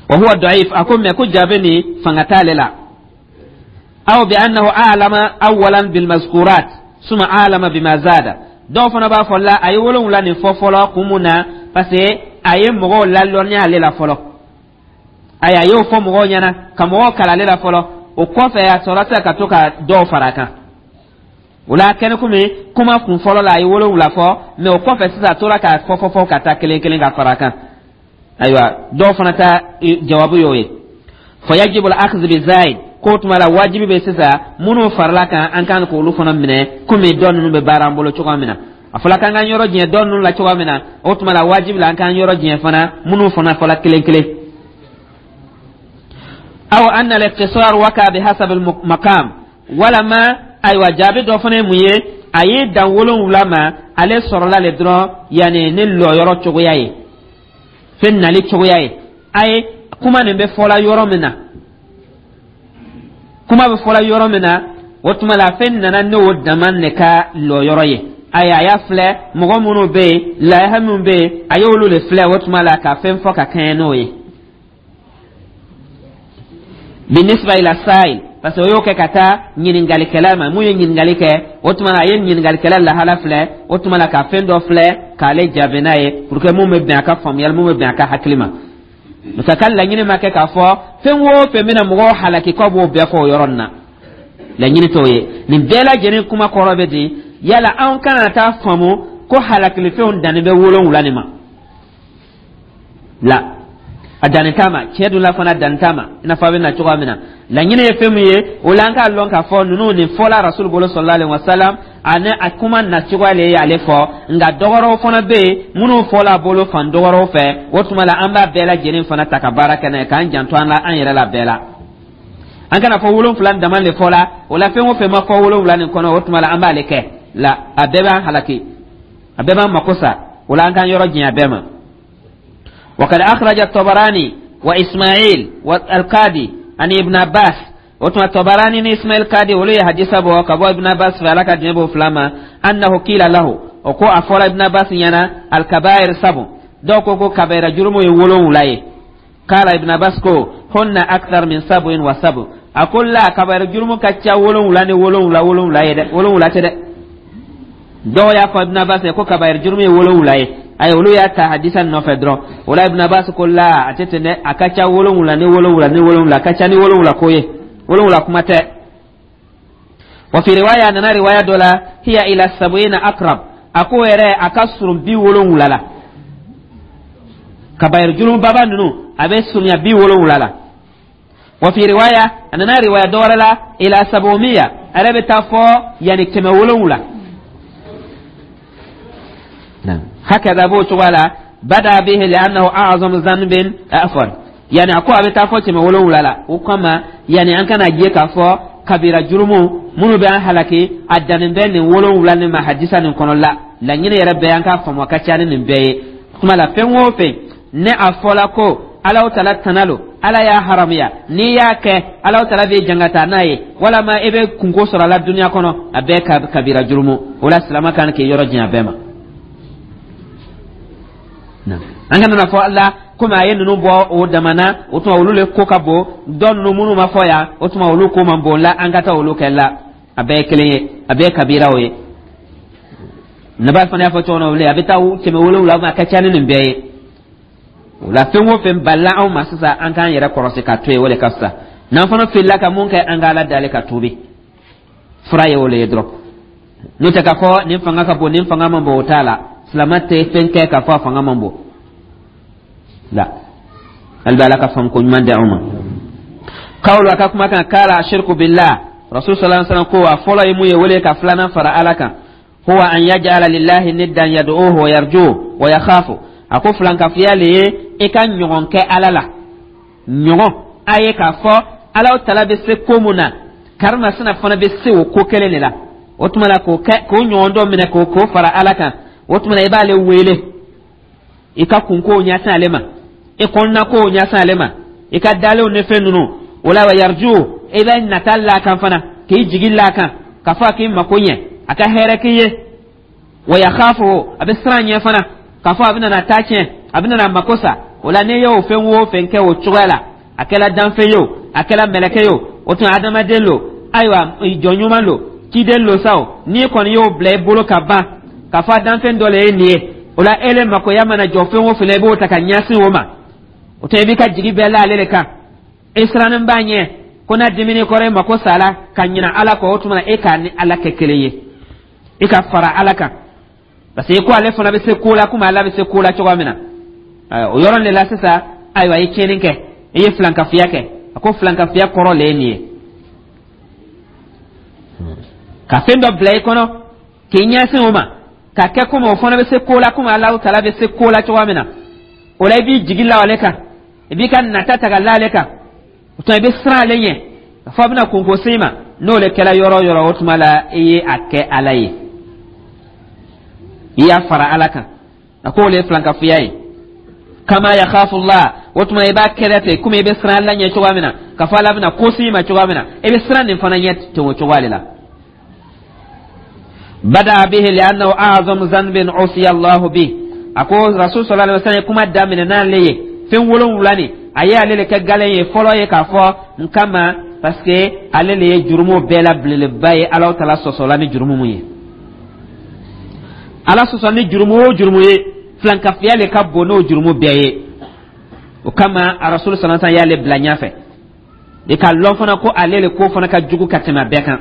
وهو ضعيف. A ko mɛ ko jaabi nin fanga t'ale la. أو بأنه أعلم أولا بالمذكورات ثم أعلم بما زاد. Dɔw fana b'a fɔ la, a ye 7 nin fɔ fɔlɔ kun mun na? Parce que a ye mɔgɔw lalɔnniya ale la fɔlɔ. Ayi, a y'o fɔ mɔgɔw ɲɛna ka mɔgɔw kalan ale la fɔlɔ, o kɔfɛ a sɔrɔ sisan ka to ka dɔw fara a kan. O la kɛnɛ komi kuma kun fɔlɔ la, a ye 7 fɔ, mɛ o kɔfɛ sisan a tora k'a fɔ fɔ fɔ ka taa kelen kelen ka fara a kan. Ayiwa, dɔw fana ta jawabu y'o ye. فيجب الأخذ بالزائد. Ko tuma la wajibi bɛ sisan minnu farala kan, an kan k'olu fana minɛ, komi dɔ ninnu bɛ baara an bolo cogoya min na. A fɔla k'an k'an yɔrɔ jɛn dɔ ninnu la cogoya min na, o tuma la wajibi la an k'an yɔrɔ jɛn fana minnu fana fɔla kelen kelen. أو أن الاقتصار وقع بحسب المقام. Walama ayiwa, jaabi dɔ fana ye mun ye? A ye dan 7 ma, ale sɔrɔla le dɔrɔn, yanni ni lɔyɔrɔ cogoya ye, fɛn nali cogoya ye. A ye kuma nin bɛ fɔla yɔrɔ min na, kuma bɛ fɔla yɔrɔ min na, o tuma la fɛn nana n'o dama de ka lɔyɔrɔ ye. Ayi, a y'a filɛ mɔgɔ minnu bɛ yen, laha minnu bɛ yen, a y'olu de filɛ, o tuma la ka fɛn fɔ ka kɛɲɛ n'o ye. بالنسبة إلى السائل, parce que o y'o kɛ ka taa ɲininkalikɛla ma. Mun ye ɲininkali kɛ, o tuma na a ye ɲininkalikɛla lahala filɛ, o tuma na ka fɛn dɔ filɛ k'ale jaabi n'a ye, pour que mun bɛ bɛn a ka faamuyali, mun bɛ bɛn a ka hakili ma. Parce que ka laɲini ma kɛ k'a fɔ fɛn o fɛn bɛna mɔgɔw halaki k'aw b'o bɛɛ fɔ o yɔrɔ nin na, laɲini t'o ye. Nin bɛɛ lajɛlen kuma kɔrɔ bɛ di? Yala anw kana taa faamu ko halakilifɛnw danni bɛ 7 nin ma la, a danni t'a ma. Tiɲɛ dun la fana, danni t'a ma, i n'a fɔ a bɛ na cogoya min na. Laɲini ye fɛn min ye, o la an k'a lɔn k'a fɔ ninnu nin fɔla Rasul bolo صلى الله عليه وسلم, ani a kuma na cogoya le ye ale fɔ. Nka dɔwɛrɛw fana bɛ yen minnu fɔla a bolo fan dɔwɛrɛw fɛ. O tuma la an b'a bɛɛ lajɛlen fana ta ka baara kɛ n'a ye, k'an janto an la, an yɛrɛ la bɛɛ la. An kana fɔ 7 dama de fɔla, o la fɛn o fɛn ma fɔ 7 nin kɔnɔ, o tuma la an b'ale kɛ la, a bɛɛ b'an halaki, a bɛɛ b'an mako sa. O la an k'an yɔrɔ janya bɛɛ ma. وقد أخرج الطبراني وإسماعيل والقاضي عن ابن عباس. O tuma Tabarani ni Ismail Kadi, olu ye hadisa bɔ ka bɔ Ibn Abbas fɛ, Ala ka diɲɛ b'o fila ma, أنه قيل له, o ko a fɔra Ibn Abbas ɲɛna: الكبائر سبع. Dɔw ko kabayira jurumu ye 7 ye. قال, Ibn Abbas ko: هن أكثر من سبع وسبع. A ko la, kabayira jurumu ka ca 7 ni 7 7 ye dɛ, 7 tɛ dɛ. Dɔw y'a fɔ Ibn Abbas ko kabayiri jurumu ye 70 ye. Ayi, olu y'a ta hadisa nɔfɛ dɔrɔn. O la Ibn Abbas ko la, a tɛ ten dɛ, a ka ca 70 ni 70 ni 70, a ka ca ni 70 ko ye, 70 kuma tɛ. Wa fi riwaya, a nana riwaya dɔ la, hiya ila sab'ina akrab, a ko yɛrɛ a ka surun 70 la. Kabayiri jurumu baba ninnu, a bɛ surunya 70 la. Wa fi riwaya, a nana riwaya dɔ wɛrɛ la, ila sabumiya, a yɛrɛ bɛ taa fɔ yanni 700. Hakaza, b'o cogoya la. Bada bihi li'annahu a'zamu dhanbin, afwan, yani a ko a bɛ taa fɔ 700 la. O kama, yani an kana je k'a fɔ kabira jurumu minnu bɛ an halaki, a dannen bɛ nin 70 nin ma hadisa nin kɔnɔ la. Laɲini yɛrɛ bɛɛ, an k'a faamu, a ka ca ni nin bɛɛ ye. Kuma la, fɛn o fɛn ne a fɔla ko Alahu Tala tana lo, Ala y'a haramuya, n'i y'a kɛ, Alahu Tala b'i jangata n'a ye, walama i bɛ kunko sɔrɔ a la duniya kɔnɔ, a bɛɛ ka kabira jurumu. O la, silama kan k'i yɔrɔ janya bɛɛ ma. An kana na fɔ la komi a ye ninnu bɔ o dama na, o tuma olu le ko ka bon, dɔ ninnu minnu ma fɔ yan, o tuma olu ko man bon la, an ka taa olu kɛ la. A bɛɛ ye kelen ye, a bɛɛ ye kabiraw ye. Naba fana y'a fɔ cogo min na, a bɛ taa 700, a ka ca ni nin bɛɛ ye. O la, fɛn o fɛn balila anw ma sisan, an k'an yɛrɛ kɔrɔsi ka to yen, o de ka fisa. N'an fana filila ka mun kɛ, an ka Ala dali ka tuubi, fura ye o le ye dɔrɔn. N'o tɛ, k'a fɔ nin fanga ka bon, nin fanga man bon, o t'a la. Silama tɛ fɛn kɛ k'a fɔ a fanga man bon la. Hali bɛ Ala ka faamu ko ɲuman di anw ma. Kawulu, a ka kuma kan, kala ashirku billah, Rasul sallallahu alaihi wasallam ko a fɔlɔ ye mun ye, wele ka filanan fara Ala kan. Huwa an yaj'ala lillahi niddan yad'uhu wa yarjuhu wa yakhafu. A ko filankafiya le ye i ka ɲɔgɔn kɛ Ala la, ɲɔgɔn a ye k'a fɔ Ala Tala bɛ se ko mun na, karimasina fana bɛ se o ko kelen de la. O tuma la, k'o kɛ k'o ɲɔgɔn dɔ minɛ k'o fara Ala kan. O tuma la, i b'ale wele, i ka kunkow ɲɛsin ale ma, i kɔnɔnakow ɲɛsin ale ma, i ka dalenw ni fɛn ninnu. O la, wa yarju, i bɛ nata la kan fana, k'i jigi la kan k'a fɔ a k'i mako ɲɛ, a ka hɛrɛ k'i ye. Wa yakhafu, a bɛ siran ɲɛ fana k'a fɔ a bɛna na taa tiɲɛ, a bɛna na mako sa. O la, n'i y'o fɛn o fɛn kɛ o cogoya la, a kɛla danfɛn ye o, a kɛla mɛlɛkɛ ye o, o tuma adamaden lo, ayiwa, jɔn ɲuman lo, ciden lo sa o, n'i kɔni y'o bila i bolo ka ban k'a fɔ a danfɛn dɔ le ye nin ye, o la ele makoya mana jɔ fɛn o fɛn la, i b'o ta ka ɲɛsin o ma. O tuma, i b'i ka jigi bɛɛ la ale de kan, i sirannen b'a ɲɛ ko n'a dimini kɔrɔ, e mako sala ka ɲina Ala kɔ. O tuma na, e k'a ni Ala kɛ kelen ye, i ka fara Ala kan, parce que ko ale fana bɛ se ko la komi Ala bɛ se ko la cogoya min na. O yɔrɔ de la sisan, ayiwa, i ye tiɲɛni kɛ, i ye filankafiya kɛ. A ko filankafiya kɔrɔ le ye nin ye: ka fɛn dɔ bila i kɔnɔ k'i ɲɛsin o ma, ka kɛ komi o fana bɛ se ko la komi Alahu Taala bɛ se ko la cogoya min na. O la, i b'i jigi la ale kan, i b'i ka nata ta ka la ale kan. O tuma, i bɛ siran ale ɲɛ k'a fɔ a bɛna kunko se i ma. N'o de kɛra yɔrɔ o yɔrɔ, o tuma la, i ye a kɛ Ala ye, i y'a fara Ala kan. A k'o le ye filankafoya ye. Kama yakhafullah, o tuma i b'a kɛlɛ ten komi i bɛ siran Ala ɲɛ cogoya min na, k'a fɔ Ala bɛna ko se i ma cogoya min na, i bɛ siran nin fana ɲɛ ten o cogoya de la. Bada bihi li'annahu a'zamu dhanbin usiya Allah bi. A ko Rasul sallallahu alaihi wasallam ye kuma daminɛ n'ale ye fɛn 70 nin, a ye ale de kɛ galen ye fɔlɔ ye k'a fɔ n kama, parce que ale le ye jurumu bɛɛ la belebeleba ye. Ala Tala sɔsɔla ni jurumu mun ye, Ala sɔsɔ ni jurumu o jurumu ye, filankafiya le ka bon n'o jurumu bɛɛ ye. O kama, a Rasul sallallahu alaihi wasallam y'ale bila ɲɛfɛ de, k'a lɔn fana ko ale le ko fana ka jugu ka tɛmɛ a bɛɛ kan.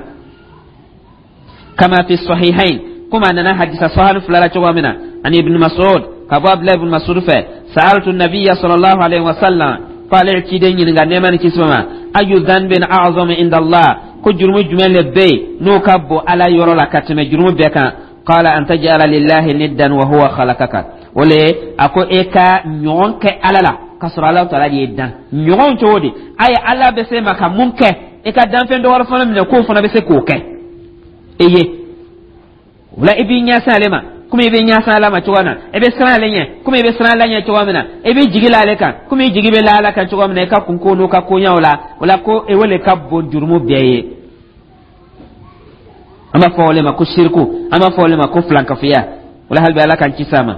Kama fi sahihain, komi a nana hadisa sahih fila la cogoya min na, ani Ibn Mas'ud, ka bɔ Abdulahi ibn Mas'ud fɛ, sa'altu nabiyya sallallahu alaihi wasallam, ko ale ye ciden ɲininka, nɛɛma ni kisi ma, ayu dhanbin a'zamu inda Allah, ko jurumu jumɛn le bɛ yen n'o ka bon Ala yɔrɔ la ka tɛmɛ jurumu bɛɛ kan? Qala an taj'ala lillahi niddan wa huwa khalaqaka. O le a ko e ka ɲɔgɔn kɛ Ala la k'a sɔrɔ Ala Taala de ye dan. Ɲɔgɔn cogo di? A ye Ala bɛ se ma ka mun kɛ, e ka danfɛn dɔ wɛrɛ fana minɛ k'o fana bɛ se k'o kɛ e ye. O la, i b'i ɲɛsin ale ma komi i bɛ ɲɛsin Ala ma cogoya min na, i bɛ siran ale ɲɛ komi i bɛ siran Ala ɲɛ cogoya min na, i bɛ jigi la ale kan komi i jigi bɛ la Ala kan cogoya min na, i ka kunko n'o ka koɲɛw la. O la, ko o le ka bon jurumu bɛɛ ye. An b'a fɔ o le ma ko siriku, an b'a fɔ o le ma ko filankafoya. O la, hali bi Ala k'an kisi a ma.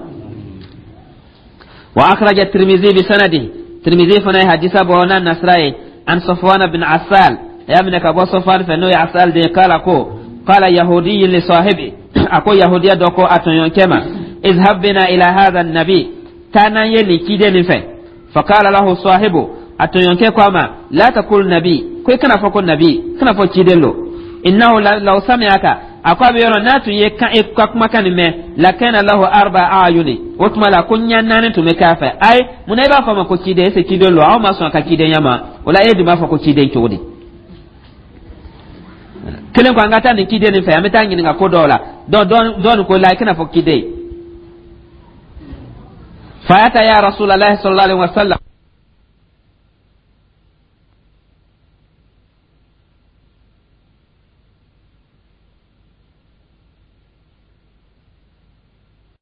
Wa akhraja Tirmizi bi sanadi, Tirmizi fana ye hadisa bɔ n'a nasira ye, an Safwan bin Asal, a y'a minɛ ka bɔ Safwan fɛ, n'o ye Asal de ye, kala ko qala yahudiyyun li sahibi. A ko yahudiya dɔ ko a tɔɲɔgɔnkɛ ma: "Izhab bina ila hadha nabi", taa n'an ye nin ciden nin fɛ. Faqala lahu sahibu, a tɔɲɔgɔnkɛ ko a ma: "La taqul nabi", ko i kana fɔ ko nabi, kana fɔ ciden lo. "Innahu law sami'aka", a ko a bɛ yɔrɔ n'a tun ye kan e ka kumakan nin mɛn, "lakana lahu arba ayuni", o tuma la ko ɲɛ naani tun bɛ k'a fɛ. Ayi, munna i b'a fɔ a ma ko ciden? Est ce que ciden lo? Aw ma sɔn a ka cidenya ma, o la e dun b'a fɔ ko ciden cogo di? Kelen ko an ka taa nin ciden nin fɛ, an bɛ taa ɲininka ko dɔw la. Dɔ nin ko la i kana fɔ ciden. Fa ataya Rasulallah sallallahu alaihi wasallam.